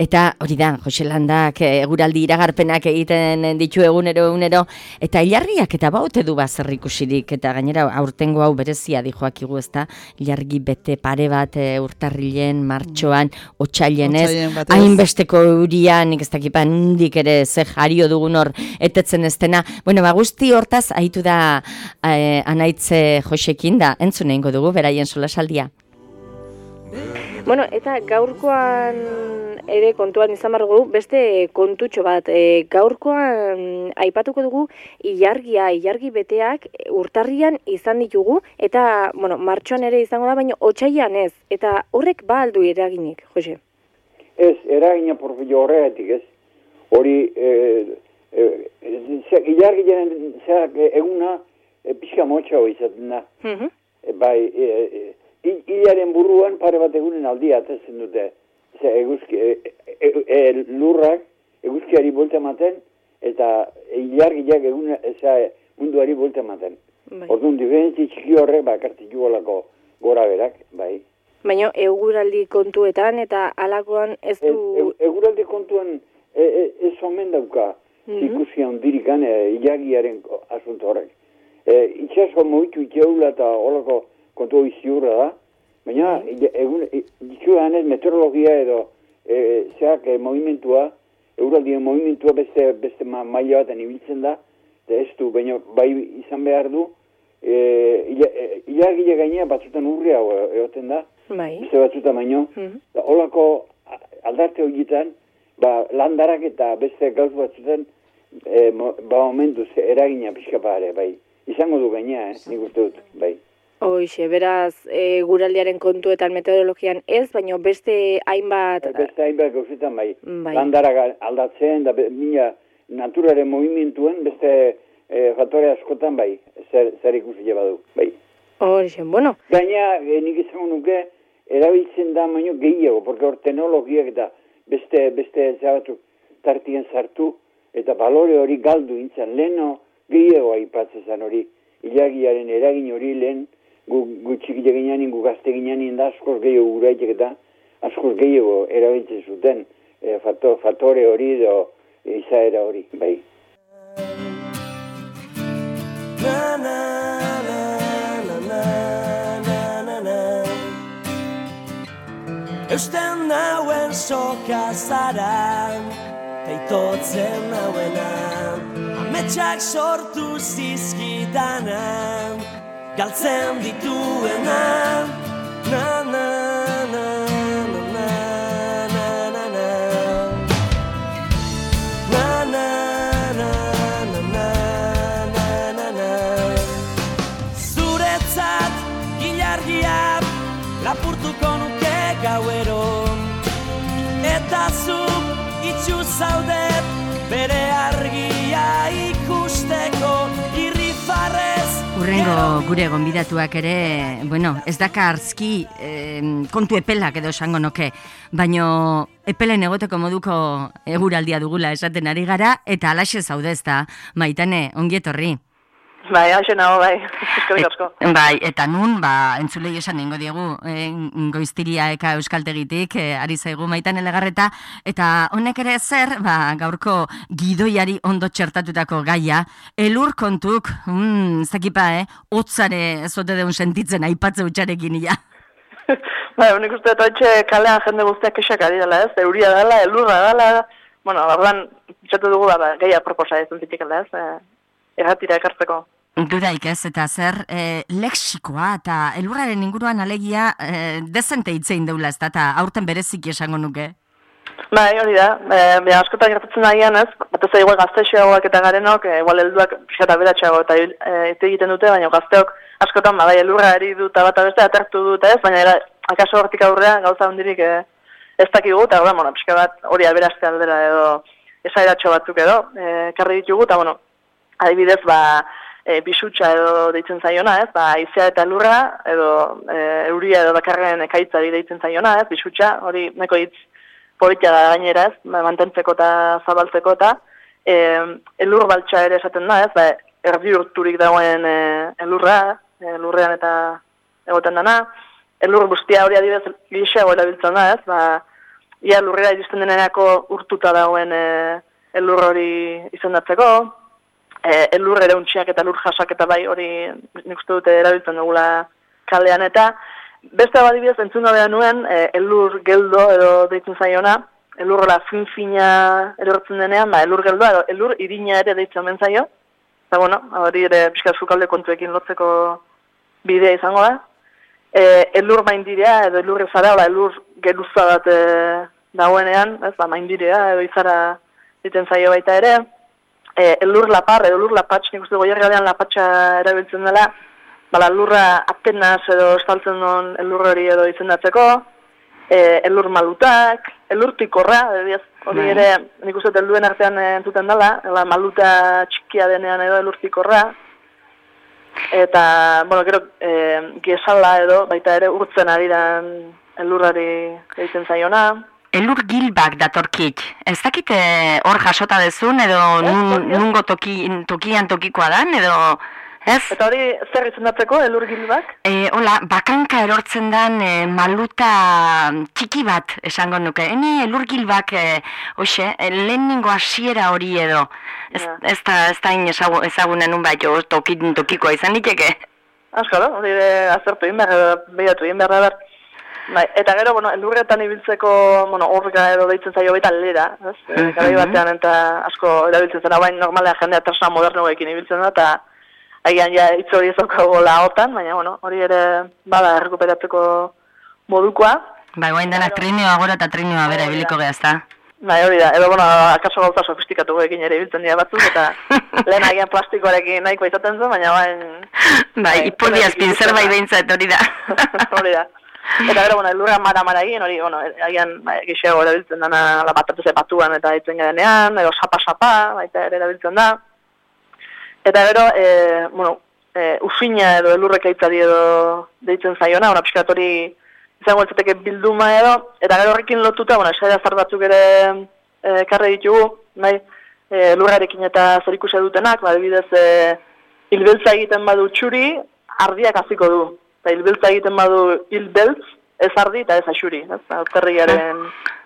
eta hori da, Jose Landak eh, eguraldi iragarpenak egiten ditu egunero egunero, eta ilargiak eta baute du bazer ikusirik, eta gainera aurtengo hau berezia dijoakigu, ezta, ilargi bete pare bat eh, urtarrilen, martxoan, otsailen ez, Otsailen batez. hainbesteko eurian, nik ez dakipan hundik ere ze jario dugun hor etetzen ez dena. Bueno, ba, guzti hortaz aitu da eh, anaitze Josekin da, entzun egingo dugu, beraien solasaldia. Bueno, eta gaurkoan ere kontuan izan behar dugu, beste kontutxo bat, e, gaurkoan aipatuko dugu ilargia, ilargi beteak urtarrian izan ditugu, eta, bueno, martxoan ere izango da, baina otsailean ez, eta horrek ba aldu eraginik, Jose? Ez, eragina porfillo horregatik ez, hori, e, e, ilargiaren zeak eguna e, pixka motxago izaten da, Mhm. e, bai, e, e, hilaren buruan pare bat egunen aldia atezen dute, ze eguzki, e, e, e, lurrak eguzkiari buelta ematen, eta ilargiak egun eza munduari buelta ematen. Bai. Orduan, diferentzi txiki horrek bakartik jugolako gora berak, bai. Baina eguraldi kontuetan eta alakoan ez Ez, du... e, eguraldi kontuan e, e, ez omen dauka Mhm. ikusia hondirikan e, ilagiaren asunto horrek. E, itxaso moitu itxeula eta holako kontu iziurra da, baina e, egun ditxuan ez meteorologia edo e, zeak e, movimentua, eguraldien movimentua beste, beste ma, maila baten ibiltzen da, eta ez du, baina bai izan behar du, e, ila, e, ilagile gainea batzutan urria egoten da, Bai. beste batzutan baino, Mhm. da, holako aldarte horietan, ba, landarak eta beste gauz batzutan, e, mo, ba momentuz eragina pixka pare, bai. Izango du gainea, eh? Nik uste dut, bai. Hoxe, beraz, eguraldiaren kontuetan meteorologian ez, baina beste hainbat... Beste hainbat gauzetan, bai. Bai. Landarak aldatzen, da be- mila naturaren movimentuen beste e, faktore askotan, bai. Zer, zer ikusi badu, bai. Hoxe, bueno. Gaina, e, nik izango nuke, erabiltzen da baino gehiago, porque hor teknologiak eta beste, beste zabatzuk tartien sartu, eta balore hori galdu intzan, leheno gehiago aipatzen hori, ilagiaren eragin hori lehen, gu, gu txikile ginean, gu gazte ginean, da askoz gehiago guraitek eta askoz gehiago erabiltzen zuten e, fato, faktore hori edo e, izaera hori, bai. Na, na, na, na, na, na, na, na. Eusten nauen soka zara, teitotzen nauena, ametsak sortu zizkidana, galtzen dituena. Na, na, na, na, na, na, na, na. Na, na, na, na, na, na, na, na. Zuretzat ilargia lapurtuko nuke gauero, eta zu itxu zaudet bere argia ikusteko irrifarrez. Urrengo gure gonbidatuak ere, bueno, ez daka arzki eh, kontu epelak edo esango noke, baino epelen egoteko moduko eguraldia dugula esaten ari gara, eta alaxe zaude ezta, Maitane, ongi etorri. Bai, hau nago, bai, eskerrik asko. Et, bai, eta nun, ba, entzulei esan nengo diegu, eh, goiztiria eka euskaltegitik, eh, ari zaigu Maitane Legarreta, eta honek ere zer, ba, gaurko gidoiari ondo txertatutako gaia, elur kontuk, mm, zakipa, eh, hotzare zote deun sentitzen aipatze utxarekin ia. Bai, honik uste dut etxe kalean jende guztiak kexak ari dela, ez, euria dela, elurra dela, bueno, barban, txatu dugu, ba, gehiak proposa ez entzitik ez, eh, erratira ekartzeko. Dudaik ez, eta zer, e, leksikoa eta elurraren inguruan alegia e, dezente hitzein deula ez da, eta aurten bereziki esango nuke. Bai, hori da, e, bera askotan gertatzen nahian ez, bat ez igual gaztexeagoak eta garenok, e, igual helduak pixata beratxeago eta e, egiten dute, baina gazteok askotan badai elurra eri dut eta bat beste atertu dut ez, baina era, akaso hortik aurrea gauza hundirik e, ez dakigu, eta bueno, pixka bat hori aberazte aldera edo esairatxo batzuk edo, e, karri ditugu, eta bueno, adibidez, ba, e, bisutxa edo deitzen zaiona, ez, ba, izea eta lurra, edo e, euria edo bakarren ekaitzari deitzen zaiona, ez, bisutxa, hori neko hitz politia da gainera, ez, ba, mantentzeko eta zabaltzeko eta e, elur baltsa ere esaten da, ez, ba, erdi urturik dagoen e, elurra, e, lurrean eta egoten dana, elur guztia hori adibidez gixeago erabiltzen da, ez, ba, ia lurrera iristen denerako urtuta dagoen e, elur hori izendatzeko, E, elur ere untxiak eta lur jasak eta bai hori nik uste dute erabiltzen dugula kalean eta beste badibidez entzun behar nuen e, elur geldo edo deitzen zaiona, elurra fin-fina erortzen denean, ba, elur geldoa edo elur irina ere deitzen ben zaio, eta bueno, hori ere pixka sukalde kontuekin lotzeko bidea izango da. E, elur maindirea edo elur ezara, ba, elur geruza bat e, dagoenean, ez da, maindirea edo izara egiten zaio baita ere, e, elur lapar edo elur lapatx, nik uste goierrean lapatxa erabiltzen dela, bala lurra apenas edo estaltzen duen elur hori edo izendatzeko, e, elur malutak, elur pikorra, hori ere, nik uste helduen artean entzuten dela, ela maluta txikia denean edo elur pikorra, eta, bueno, gero, e, giesala edo, baita ere urtzen ari dan elurrari egiten zaiona. Elur gilbak datorkit. Ez dakite hor jasota dezun, edo nun, nungo toki, tokian tokikoa dan, edo... Ez? Eta hori zer izendatzeko, elur gilbak? E, hola, bakanka erortzen dan e, maluta txiki bat esango nuke. Hene elur gilbak, e, hoxe, e, lehenengo hasiera hori edo. Ez, yeah. ez da, ez da inezagu, ezagunen nun bat jo, tokin, tokikoa izan diteke. Azkaro, hori azertu inber, behatu inber, behar. Bai, eta gero, bueno, elurretan ibiltzeko, bueno, orga edo deitzen zaio baita lera, ez? Mm -hmm. Garai batean eta asko erabiltzen zena, baina normalea jendea tresna modernoekin ibiltzen da, eta agian ja hitz hori ez daukago laotan, baina, bueno, hori ere bada errekuperatzeko modukoa. Bai, guain denak trinioa gora eta trinioa bera ibiliko gehazta. Bai, hori da, edo, bueno, akaso gauza sofistikatu ekin ere ibiltzen dira batzuk, eta lehen agian plastikoarekin nahikoa izaten zen, baina bain... Bai, ipurdiaz pinzer bai behintzat hori da. Hori da. Eta gero, bueno, elurra mara-mara egin, hori, bueno, agian gixeago erabiltzen dana batatuz batuan eta itzen gadenean, edo sapa-sapa, baita ere erabiltzen da. Eta gero, e, bueno, e, ufina edo elurrek aitzari edo deitzen zaiona, ona pixkat hori izango eltzateke bilduma edo, eta gero horrekin lotuta, bueno, esaia zar batzuk ere e, karre ditugu, nahi, e, elurrarekin eta zerikusia dutenak, badibidez, e, hilbeltza egiten badu txuri, ardiak hasiko du. Eta hilbeltza egiten badu hilbeltz, ez ardi eta ez axuri, ez? Urtarriaren,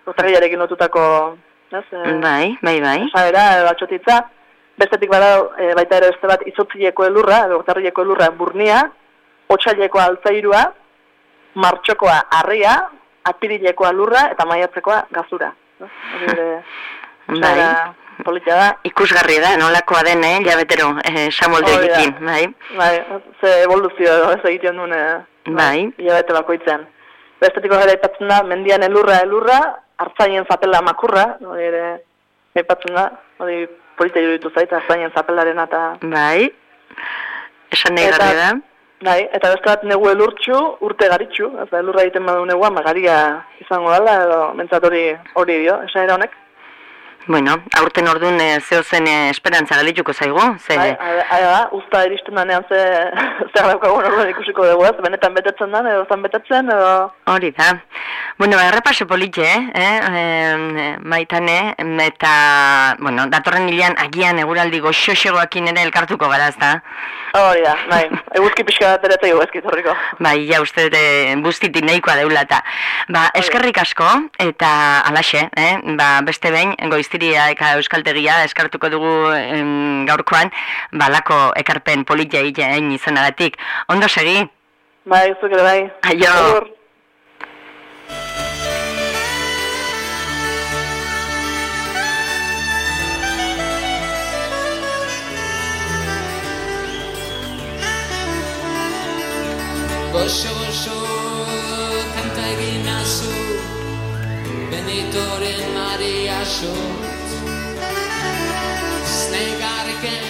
urtarriarekin lotutako, ez? Bai, bai, bai. Esaera, edo atxotitza. Bestetik bada, e, baita ere beste bat, izotzileko elurra, edo urtarrieko elurra burnia, otsaileko altzairua, martxokoa harria, apirilekoa lurra, eta maiatzekoa gazura. Hori ere, esaera politia da. Ikusgarri da, nolakoa den, eh, jabetero, eh, samoldeekin, bai. Bai, ze evoluzio edo ez egiten duen, eh, bai. Jabete bakoitzen. Bestetiko gara aipatzen da, mendian elurra, elurra, hartzainen zapela makurra, hori ere, aipatzen da, hori politia juditu zait, hartzainen zapelaren eta... Bai, esan nahi garri da. Bai, eta beste bat negu elurtxu, urte garitxu, ez da, elurra egiten badu negua, magaria izango dela, edo mentzat hori hori dio, esan era honek. Bueno, aurten orduan e, zeo zen e, esperantza galituko zaigu, ze... Bai, da, usta iristen danean ze, zer daukagun orduan ikusiko dugu, ez, benetan betetzen den, edo zan betetzen, edo... Hori da. Bueno, errepaso politxe, eh, eh, maitane, eta, bueno, datorren hilean agian eguraldi goxoxegoakin ere elkartuko gara, ez da? Hori da, bai, eguzki pixka bat ere zaigu ezkit horriko. Bai, ja, uste dute bustitik nahikoa deula eta. Ba, eskerrik asko, eta alaxe, eh, ba, beste behin, goiztiria eka euskaltegia eskartuko dugu em, gaurkoan, balako ekarpen politia egin izanagatik. Ondo segi? Bai, zuk ere bai. Aio. Agur. Goxo, goxo, kanta egin azu, Benitoren Maria Xot. Znegarken,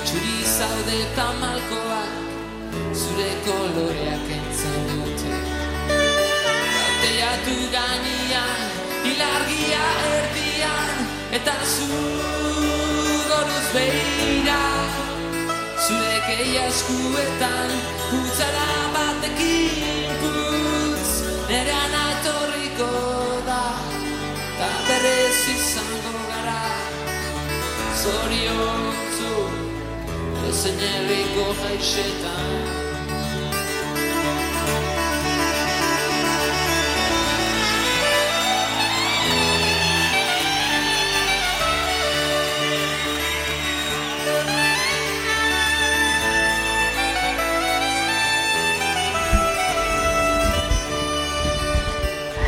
txuri zaude eta malkoak, zure koloreak entzen dute. Bateiatu gainean, ilargia erdian, eta zu goruz behira. Zure keia eskuetan, putzara batekin putz, nerean atorriko da, ta berrez izango gara. Zoriontzu, ezen herriko jaixetan.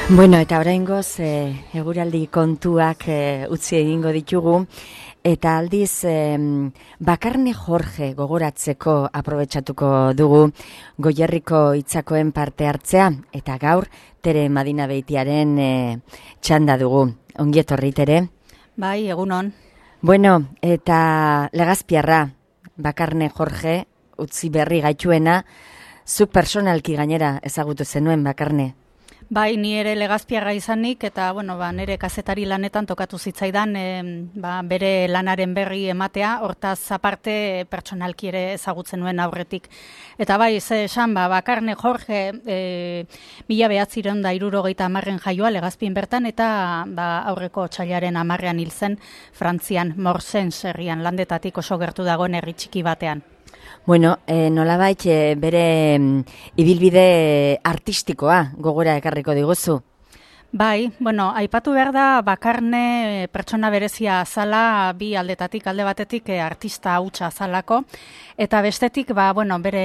Bueno, eta oraingoz e, eguraldi kontuak e, utzi egingo ditugu, eta aldiz em, Bakarne Jorge gogoratzeko aprobetxatuko dugu Goierriko hitzakoen parte hartzea, eta gaur Tere Madina Beitiaren e, txanda dugu. Ongi etorri, Tere. Bai, egunon. Bueno, eta Legazpiarra, Bakarne Jorge, utzi berri gaituena, zuk personalki gainera ezagutu zenuen, Bakarne. Bai, ni ere Legazpiarra izanik, eta bueno, ba, nire kazetari lanetan tokatu zitzaidan e, ba, bere lanaren berri ematea, hortaz aparte pertsonalki ere ezagutzen nuen aurretik. Eta bai, ze esan, ba, Bakarne Jorge e, mila behatzireun da hirurogeita hamarren jaioa Legazpin bertan, eta ba, aurreko otsailaren hamarrean hil zen Frantzian, Morsens herrian, landetatik oso gertu dagoen herri txiki batean. Bueno, e, nolabait e, bere mm, ibilbide artistikoa gogora ekarriko diguzu. Bai, bueno, aipatu behar da Bakarne pertsona berezia azala, bi aldetatik, alde batetik e, artista hutsa azalako, eta bestetik, ba, bueno, bere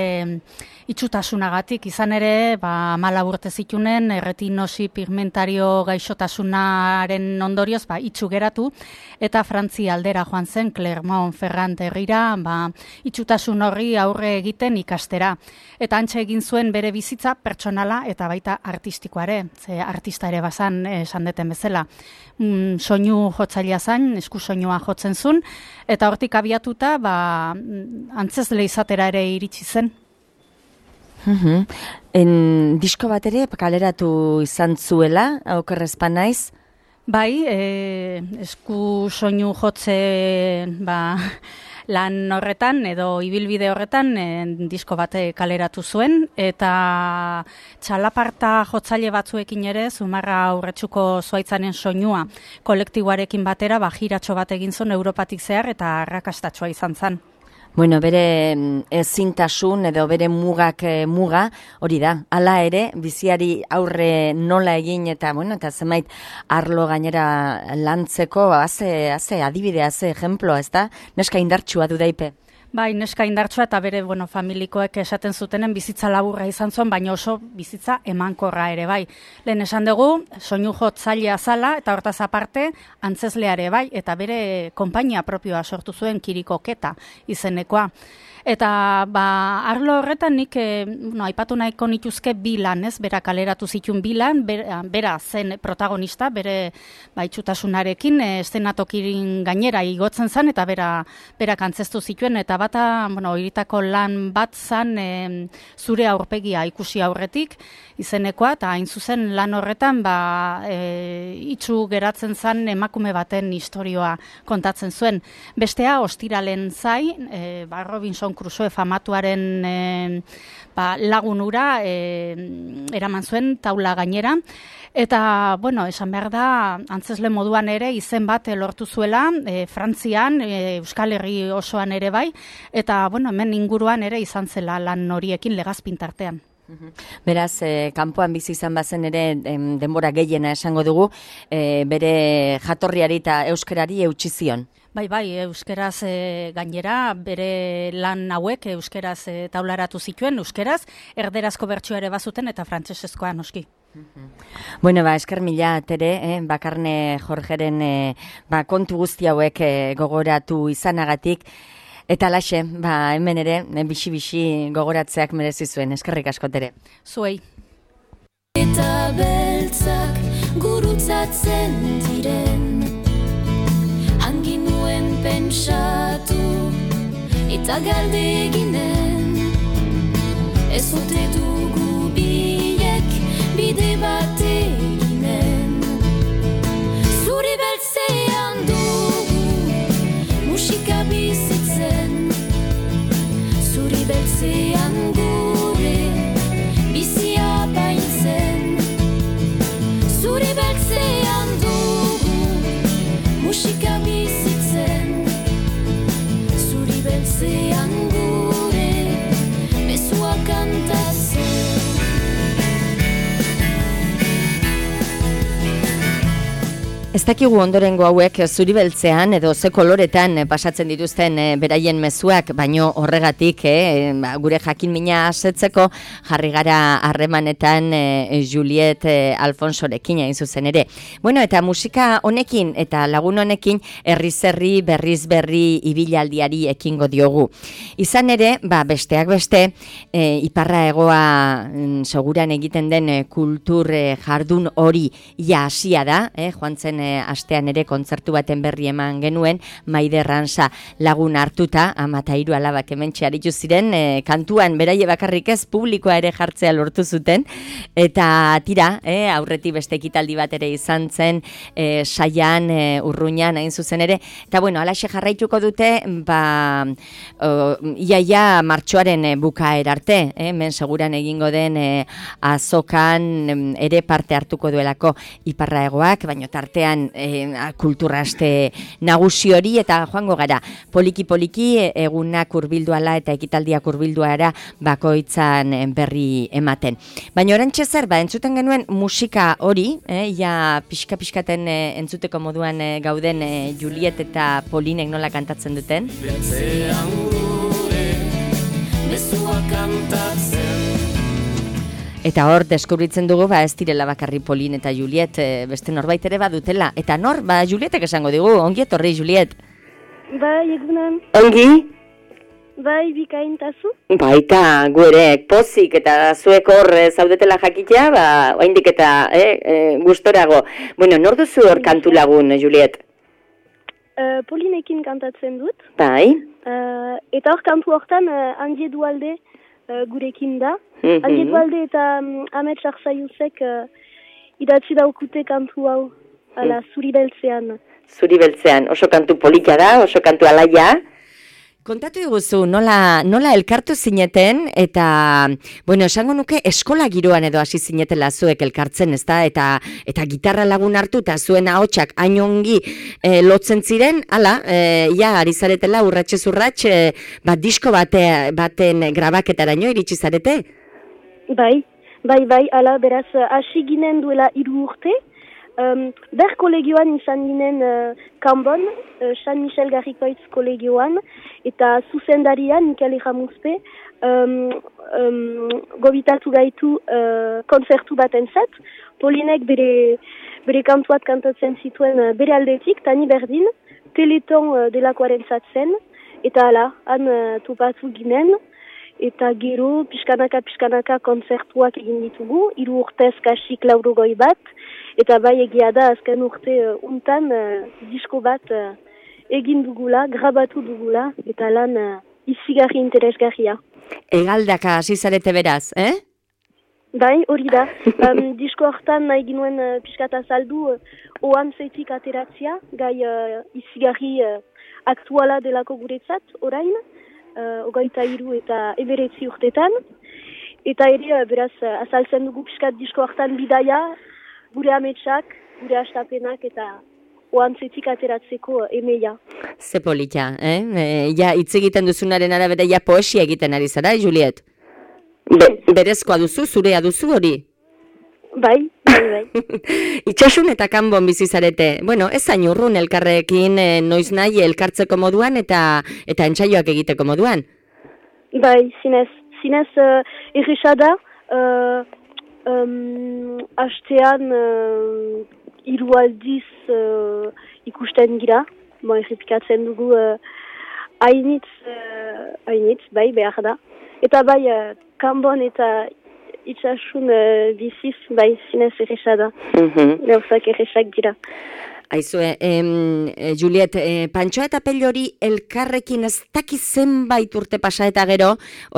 itxutasunagatik, izan ere, ba, mala urte zitunen, erretinosi pigmentario gaixotasunaren ondorioz, ba, itxu geratu, eta Frantzia aldera joan zen, Clermont-Ferrand herrira, ba, itxutasun horri aurre egiten ikastera. Eta antxe egin zuen bere bizitza pertsonala eta baita artistikoare, ze artista ere bazan esan deten bezala. Mm, soinu jotzailea zain, esku soinua jotzen zuen, eta hortik abiatuta, ba, antzezle izatera ere iritsi zen. Uhum. En, disko bat ere kaleratu izan zuela, okerrezpan naiz? Bai, e, esku soinu jotze ba, lan horretan edo ibilbide horretan e, disko bate kaleratu zuen, eta txalaparta jotzaile batzuekin ere Zumarra Aurretsuko Zuaitzaren soinua kolektiboarekin batera ba, jiratxo bat egin zuen Europatik zehar eta arrakastatxoa izan zen. Bueno, bere ezintasun edo bere mugak e, muga, hori da, hala ere, biziari aurre nola egin eta, bueno, eta zenbait arlo gainera lantzeko, haze, haze, adibidea, haze, ejemploa, ez da? Neska indartsua du daipe. Bai, neska indartsua eta bere bueno, familikoek esaten zutenen bizitza laburra izan zuen, baina oso bizitza emankorra ere bai. Lehen esan dugu, soinu jotzailea zala eta hortaz aparte antzezleare bai, eta bere konpainia propioa sortu zuen Kirikoketa izenekoa. Eta ba, arlo horretan nik e, no, aipatu nahiko nituzke bi lan, ez? Bera kaleratu zituen bi lan, bera, bera zen protagonista, bere ba, itxutasunarekin, e, eszenatokirin gainera igotzen zen, eta bera, bera kantzestu zituen, eta bata, bueno, iritako lan bat zen e, zure aurpegia ikusi aurretik, izenekoa, eta hain zuzen lan horretan ba, e, itxu geratzen zen emakume baten istorioa kontatzen zuen. Bestea, ostiralen zai, e, ba, Robinson Crusoe famatuaren e, ba, lagunura e, eraman zuen taula gainera, eta, bueno, esan behar da, antzesle moduan ere izen bat lortu zuela, e, Frantzian, e, Euskal Herri osoan ere bai, eta, bueno, hemen inguruan ere izan zela lan horiekin Legazpin tartean. Beraz, eh, kanpoan bizi izan bazen ere em, denbora gehiena esango dugu, eh, bere jatorriari eta euskerari eutsi zion. Bai, bai, euskeraz e, gainera, bere lan hauek euskeraz e, taularatu zituen, euskeraz, erderazko bertsua ere bazuten eta frantsesezkoa noski. Bueno, ba, esker mila, Tere, eh, Bakarne Jorgeren eh, ba, kontu guzti hauek eh, gogoratu izanagatik, eta laxe, ba, hemen ere, bixi-bixi gogoratzeak merezi zuen, eskerrik asko, Tere. Zuei. Eta beltzak gurutzatzen diren, hangin nuen pentsatu, eta galde eginen, ez ote dugu biek bide bat eginen. Zuri beltzean dugu musika bizitzen, zuri beltzean gure bizia baintzen. Zuri beltzean dugu musika bizitzen, zuri beltzean gure mesua kantatzen. Ez dakigu ondorengo hauek zuri beltzean edo ze koloretan pasatzen dituzten e, beraien mezuak, baino horregatik e, ba, gure jakin mina asetzeko jarri gara harremanetan e, Juliet e, Alfonsorekin hain zuzen ere. Bueno, eta musika honekin eta lagun honekin herriz-herri berriz berri ibilaldiari ekingo diogu. Izan ere, ba, besteak beste, e, iparra egoa mm, seguran egiten den e, kultur e, jardun hori ja hasia da, eh, joan zen astean ere kontzertu baten berri eman genuen, Maide Ransa lagun hartuta, ama eta hiru alabak hementxe aritu ziren, e, kantuan beraie bakarrik ez publikoa ere jartzea lortu zuten, eta tira, e, aurretik beste ekitaldi bat ere izan zen, e, Saian, e, Urruñan, hain zuzen ere, eta bueno, alaxe jarraituko dute, ba, o, iaia martxoaren e, bukaera arte, e, men seguran egingo den e, azokan ere parte hartuko duelako iparra egoak, baino tartean E, kultura aste nagusi hori eta joango gara poliki-poliki egunak hurbilduala eta ekitaldiak hurbilduara bakoitzan berri ematen. Baina orantxe zer, ba, entzuten genuen musika hori, eh, ja pixka-pixkaten eh, entzuteko moduan eh, gauden eh, Juliet eta Polinek nola kantatzen duten. Beltzean gure, mezua kantatzen. Eta hor, deskubritzen dugu, ba, ez direla bakarri Polin eta Juliet, e, beste norbait ere badutela. Eta nor, ba, Julietek esango digu, ongi etorri, Juliet. Bai, egunan. Ongi? Bai, bikaintazu. Baita, gu ere, pozik eta zuek hor zaudetela jakitea, ba, oraindik eta eh, eh, gustorago. Bueno, nor duzu hor kantu lagun, Juliet? Uh, Polinekin kantatzen dut. Bai. Uh, eta hor kantu hortan, uh, Andie Dualde uh, gurekin da. Mm-hmm. Andie Dualde eta um, Amet Sarzaiuzek uh, idatzi daukute kantu hau, ala, mm. zuri beltzean. Zuri beltzean, oso kantu polita da, oso kantu alaia. Kontatu diguzu, nola, nola elkartu zineten, eta, bueno, esango nuke eskola giroan edo hasi zinetela zuek elkartzen, ezta? Eta, eta gitarra lagun hartu, eta zuen ahotsak hain ongi e, lotzen ziren, hala, e, ja, ari zaretela urratxez urratx, e, bat disko bate, baten grabaketaraino iritsi zarete? Bai, bai, bai, ala, beraz, hasi ginen duela hiru urte, Um, ber kolegioan izan ginen uh, Kanbon, uh, San Michel Garrikoitz kolegioan, eta zuzendarian, Mikel Eramuzpe, um, um, gobitatu gaitu uh, konzertu baten zat. Polinek bere, bere kantuat kantatzen zituen uh, bere aldetik, tani berdin, teleton uh, delakoaren zatzen, eta ala, han uh, topatu ginen, eta gero, pixkanaka-pixkanaka konzertuak egin ditugu, hiru urtez kasik laurogoi bat, eta bai egia da azken urte uh, untan uh, disko bat uh, egin dugula, grabatu dugula, eta lan uh, izigarri interesgarria. Egaldaka hasi zarete beraz, eh? Bai, hori da. Um, disko hortan nahi ginuen uh, pixkata saldu uh, oan zeitik ateratzia, gai uh, izigarri uh, aktuala delako guretzat, orain, uh, ogaita hiru eta eberetzi urtetan, eta ere, uh, beraz, uh, azaltzen dugu pixkat disko hortan bidaia, gure ametsak, gure astapenak eta oantzetik ateratzeko emeia. Ze polita, eh? E, ja, hitz egiten duzunaren arabera, ja poesia egiten ari zara, Juliet? Be, berezkoa duzu, zurea duzu hori? Bai, bai, bai. Itxasun eta Kanbon bizi zarete. Bueno, ez hain urrun elkarrekin e, noiz nahi elkartzeko moduan eta eta entsaioak egiteko moduan. Bai, zinez, zinez uh, erresa da, uh, Um, astean uh, hiru aldiz uh, ikusten gira, bo errepikatzen dugu uh, hainitz, uh, hainitz, bai, behar da. Eta bai, uh, Kanbon eta itxasun uh, biziz, bai, zinez erresa da. Mm-hmm. Gauzak erresak dira. Aizue, em, Juliet, eh, Pantxoa eta Pellori elkarrekin ez dakiz zenbait urte pasa eta gero,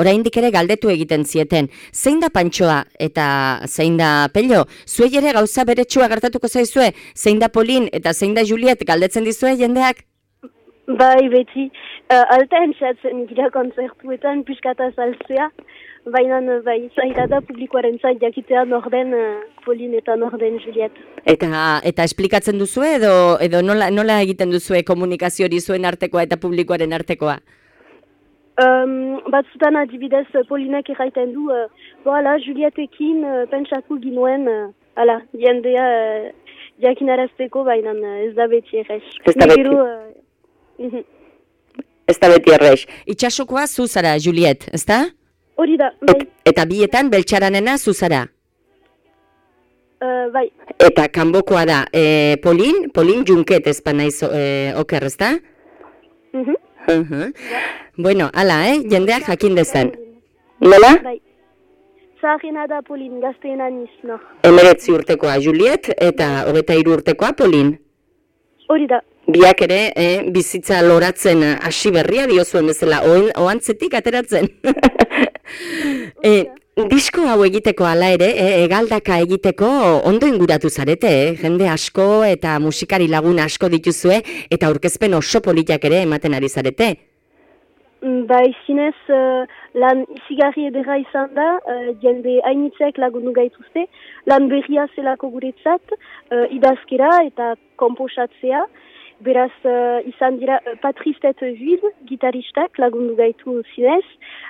oraindik ere galdetu egiten zieten. Zein da Pantxoa eta zein da Pello? Zuei ere gauza beretsua gertatuko zaizue? Zein da Polin eta zein da Juliet galdetzen dizue jendeak? Bai, beti. Uh, alta entzatzen gira konzertuetan piskata saltzea. Baina, bai, zaila da publikoaren zait jakitea norden uh, Polin eta norden Juliet. Eta eta esplikatzen duzue edo edo nola, nola egiten duzue komunikazio hori zuen artekoa eta publikoaren artekoa? Um, batzutan adibidez Polinek erraiten du, uh, boala, Julietekin uh, pentsatu ginuen, uh, ala, jendea uh, jakinarazteko, baina ez da beti errez. Ez da beti. Uh, ez da beti errez. Itxasokoa zu zara, Juliet, ez da? Hori da, bai. Eta bietan beltxaranena zu zara? Uh, bai. Eta kanbokoa da, e, Polin, Polin Junket ez pa naiz e, oker, ez da? Uh -huh. Uh -huh. Bueno, ala, eh? Jendeak jakin dezan. Nola? Bai. Zaharena da Polin, gazteena niz, no. Emeretzi urtekoa Juliet eta hogeita hiru urtekoa Polin. Hori da. Biak ere, eh, bizitza loratzen hasi berria diozuen bezala, ohantzetik ateratzen. e, disko hau egiteko ala ere, e, egaldaka egiteko ondo inguratu zarete, eh? Jende asko eta musikari lagun asko dituzue, eta aurkezpen oso politak ere ematen ari zarete. Bai, zinez, uh, lan izigarri edera izan da, uh, jende hainitzek lagundu gaituzte, lan berria zelako guretzat, uh, idazkera eta komposatzea, beraz uh, izan dira uh, Patrice Juiz, gitaristak lagundu gaitu zinez,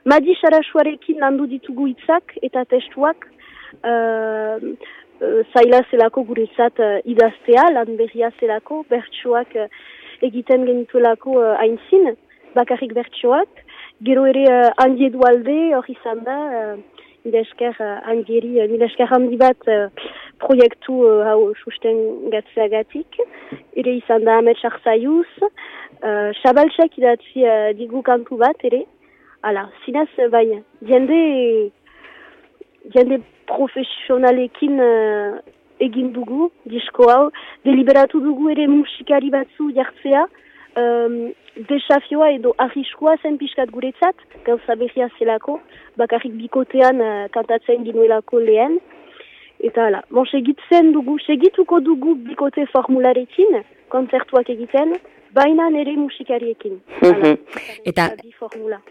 Madi Sarasuarekin landu ditugu hitzak eta testuak, uh, uh, zaila zelako guretzat uh, idaztea, lan berria zelako, bertsoak uh, egiten genituelako uh, aintzin, bakarrik bertsoak, gero ere uh, Andi Edualde hor izan da, uh, nire esker uh, Andieri, uh, nire esker handi bat uh, proiektu uh, hau susten gatzeagatik, ere izan da Ahmet Charzaiuz, uh, Xabaltxek idatzi uh, digu kantu bat ere, ala, zinez baina, jende, jende profesionalekin uh, egin dugu, disko hau, deliberatu dugu ere musikari batzu jartzea, Um, desafioa edo arriskua zen pixkat guretzat, gauza berria zelako, bakarrik bikotean uh, kantatzen ginuelako lehen. Eta hala, bon, segitzen dugu, segituko dugu bikote formularekin, kontzertuak egiten, baina nere musikariekin. Hala, eta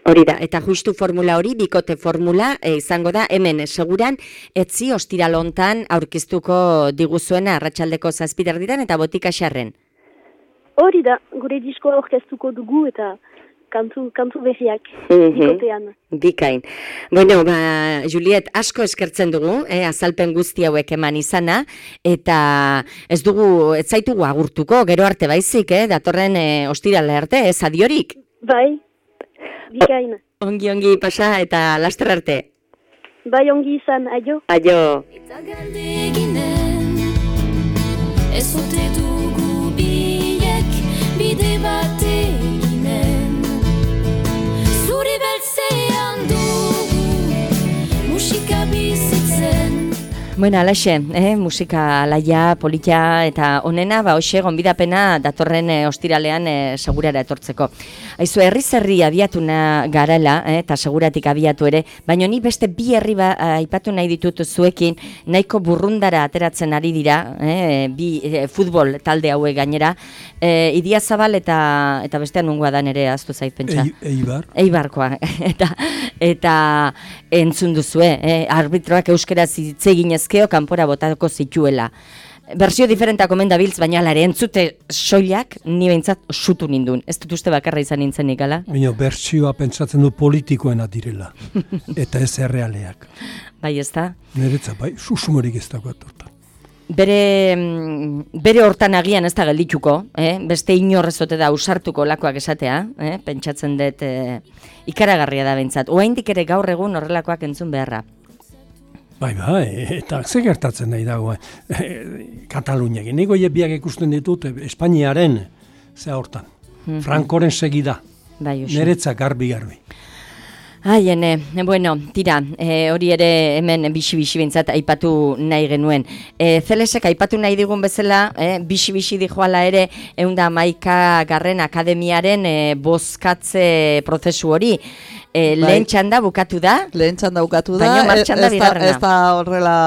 hori da, eta justu formula hori, bikote formula, e, izango da, hemen seguran, etzi ostiralontan aurkeztuko diguzuena arratsaldeko zazpiderditan eta botika xarren. Hori da, gure disko orkestuko dugu eta kantu, kantu berriak, bikotean. Bikain. Bueno, ba, Juliet, asko eskertzen dugu, eh, azalpen guzti hauek eman izana, eta ez dugu, ez zaitugu agurtuko, gero arte baizik, eh, datorren eh, ostirale arte, ez adiorik? Bai, bikain. O, ongi, ongi, pasa, eta laster arte. Bai, ongi izan, aio. Aio. Eta galde eginen, ez ote dugu bide bat eginen, zuri beltzean dugu musika bizitzen. Bueno, alaxe, eh, musika alaia, politia eta onena, ba, hoxe, gonbidapena datorren eh, ostiralean eh, segurara etortzeko. Aizu, herriz herri abiatuna garela, eh, eta seguratik abiatu ere, baina ni beste bi herri ba, aipatu nahi ditut zuekin, nahiko burrundara ateratzen ari dira, eh, bi eh, futbol talde hauek gainera, eh, Idiazabal eta eta bestean nungoa da nere aztu zait pentsa. E, Eibar. Eibarkoa, eta, eta entzun duzue, eh, arbitroak euskeraz hitz eginezkeo kanpora botako zituela. Bersio diferentak omen dabiltz, baina alare entzute soilak ni behintzat sutu nindun. Ez dut uste bakarra izan nintzenik, ala? Baina bertsioa pentsatzen du politikoena direla, eta ez errealeak. Bai, ez da? Niretzat, bai, susumorik ez dago atortan. Bere, bere hortan agian ez da geldituko, eh? Beste inorrezote da usartuko lakoak esatea, eh? Pentsatzen dut eh, ikaragarria da behintzat. Oaindik ere gaur egun horrelakoak entzun beharra. Bai, bai, eta ze gertatzen nahi dago, eh, Kataluniak. Nego biak ikusten ditut Espainiaren, ze hortan, mm-hmm. Frankoren segida, bai, niretzak garbi-garbi. Ai, ene, bueno, tira, e, hori ere hemen bixi-bixi bintzat aipatu nahi genuen. E, Zelesek aipatu nahi digun bezala, e, bixi-bixi dijoala ere, eunda maika garren akademiaren e, bozkatze prozesu hori. E, bai. Lehen txanda bukatu da? Lehen txanda bukatu da, baina martxanda bigarrena. Ez da horrela,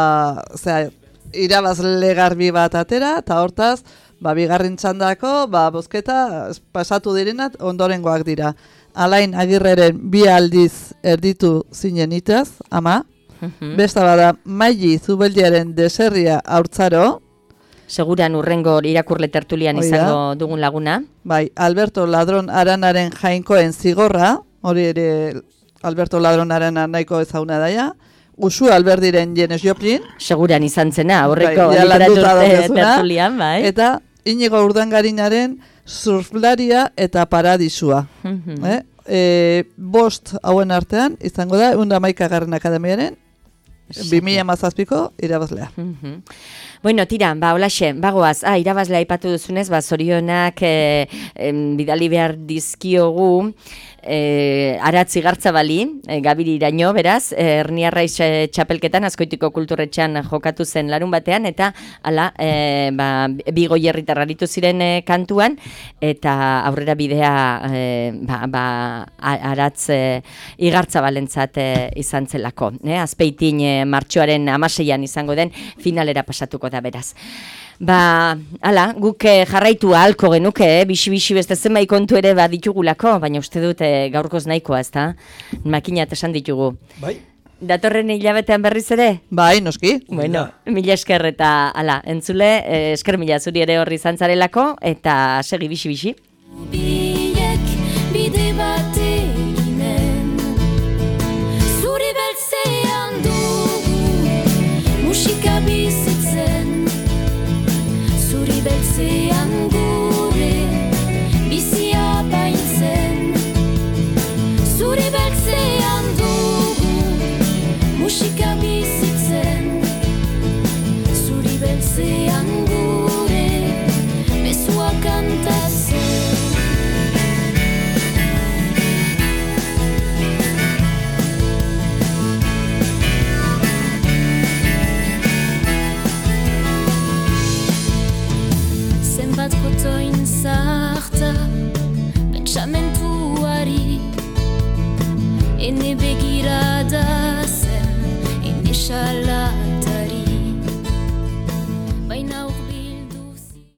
zera, irabazle garbi bat atera, eta hortaz, ba, bigarren txandako, ba, bozketa pasatu direnat ondorengoak dira. Alain Agirreren bi aldiz erditu zinen itaz, ama. Uh-huh. Besta bada, Maili Zubeldiaren deserria haurtzaro. Seguran urrengo irakurle tertulian izango dugun laguna. Bai, Alberto Ladron Aranaren jainkoen zigorra, hori ere Alberto Ladron Arana nahiko ezaguna daia. Usu Alberdiren Janis Joplin. Seguran izan zena, aurreko bai, literatur tertulian, bai. Eta Inigo Urdangarinaren Surflaria eta Paradisua. Mhm. eh? E, bost hauen artean, izango da, egun da hamaikagarren akademiaren, bi mila hamazazpiko irabazlea. Mhm. Bueno, tira, ba, holaxe, bagoaz, ah, irabazlea aipatu duzunez, ba, zorionak eh, em, bidali behar dizkiogu, eh, Aratz Igartzabali, eh, Gabiri iraino, beraz, eh, Erniarraiz eh, txapelketan, Azkoitiko kulturretxean jokatu zen larun batean, eta ala, eh, ba, bi goierritar aritu ziren eh, kantuan, eta aurrera bidea eh, ba, ba, A- Aratz eh, Igartzabalentzat eh, izan zelako. Eh? Azpeitin eh, martxoaren amaseian izango den finalera pasatuko da beraz. Ba, ala, guk eh, jarraitu ahalko genuke, eh? bixi-bixi beste zenbait kontu ere baditugulako, baina uste dut eh, gaurkoz nahikoa, ezta? Makinat esan ditugu. Bai. Datorren hilabetean berriz ere? Bai, noski. Bueno, mila esker eta ala, entzule, eh, esker mila zuri ere horri zantzarelako, eta segi bixi-bixi. Biek bide bat eginen, zuri beltzean dugu musika bizitzen, zuri beltzean gure bizia baintzen, zuri beltzean dugu musika bizitzen, zuri beltzean gure mezua kantatzen. Zenbat kotoin zarta pentsamentuari, ene begirada zen, ene xala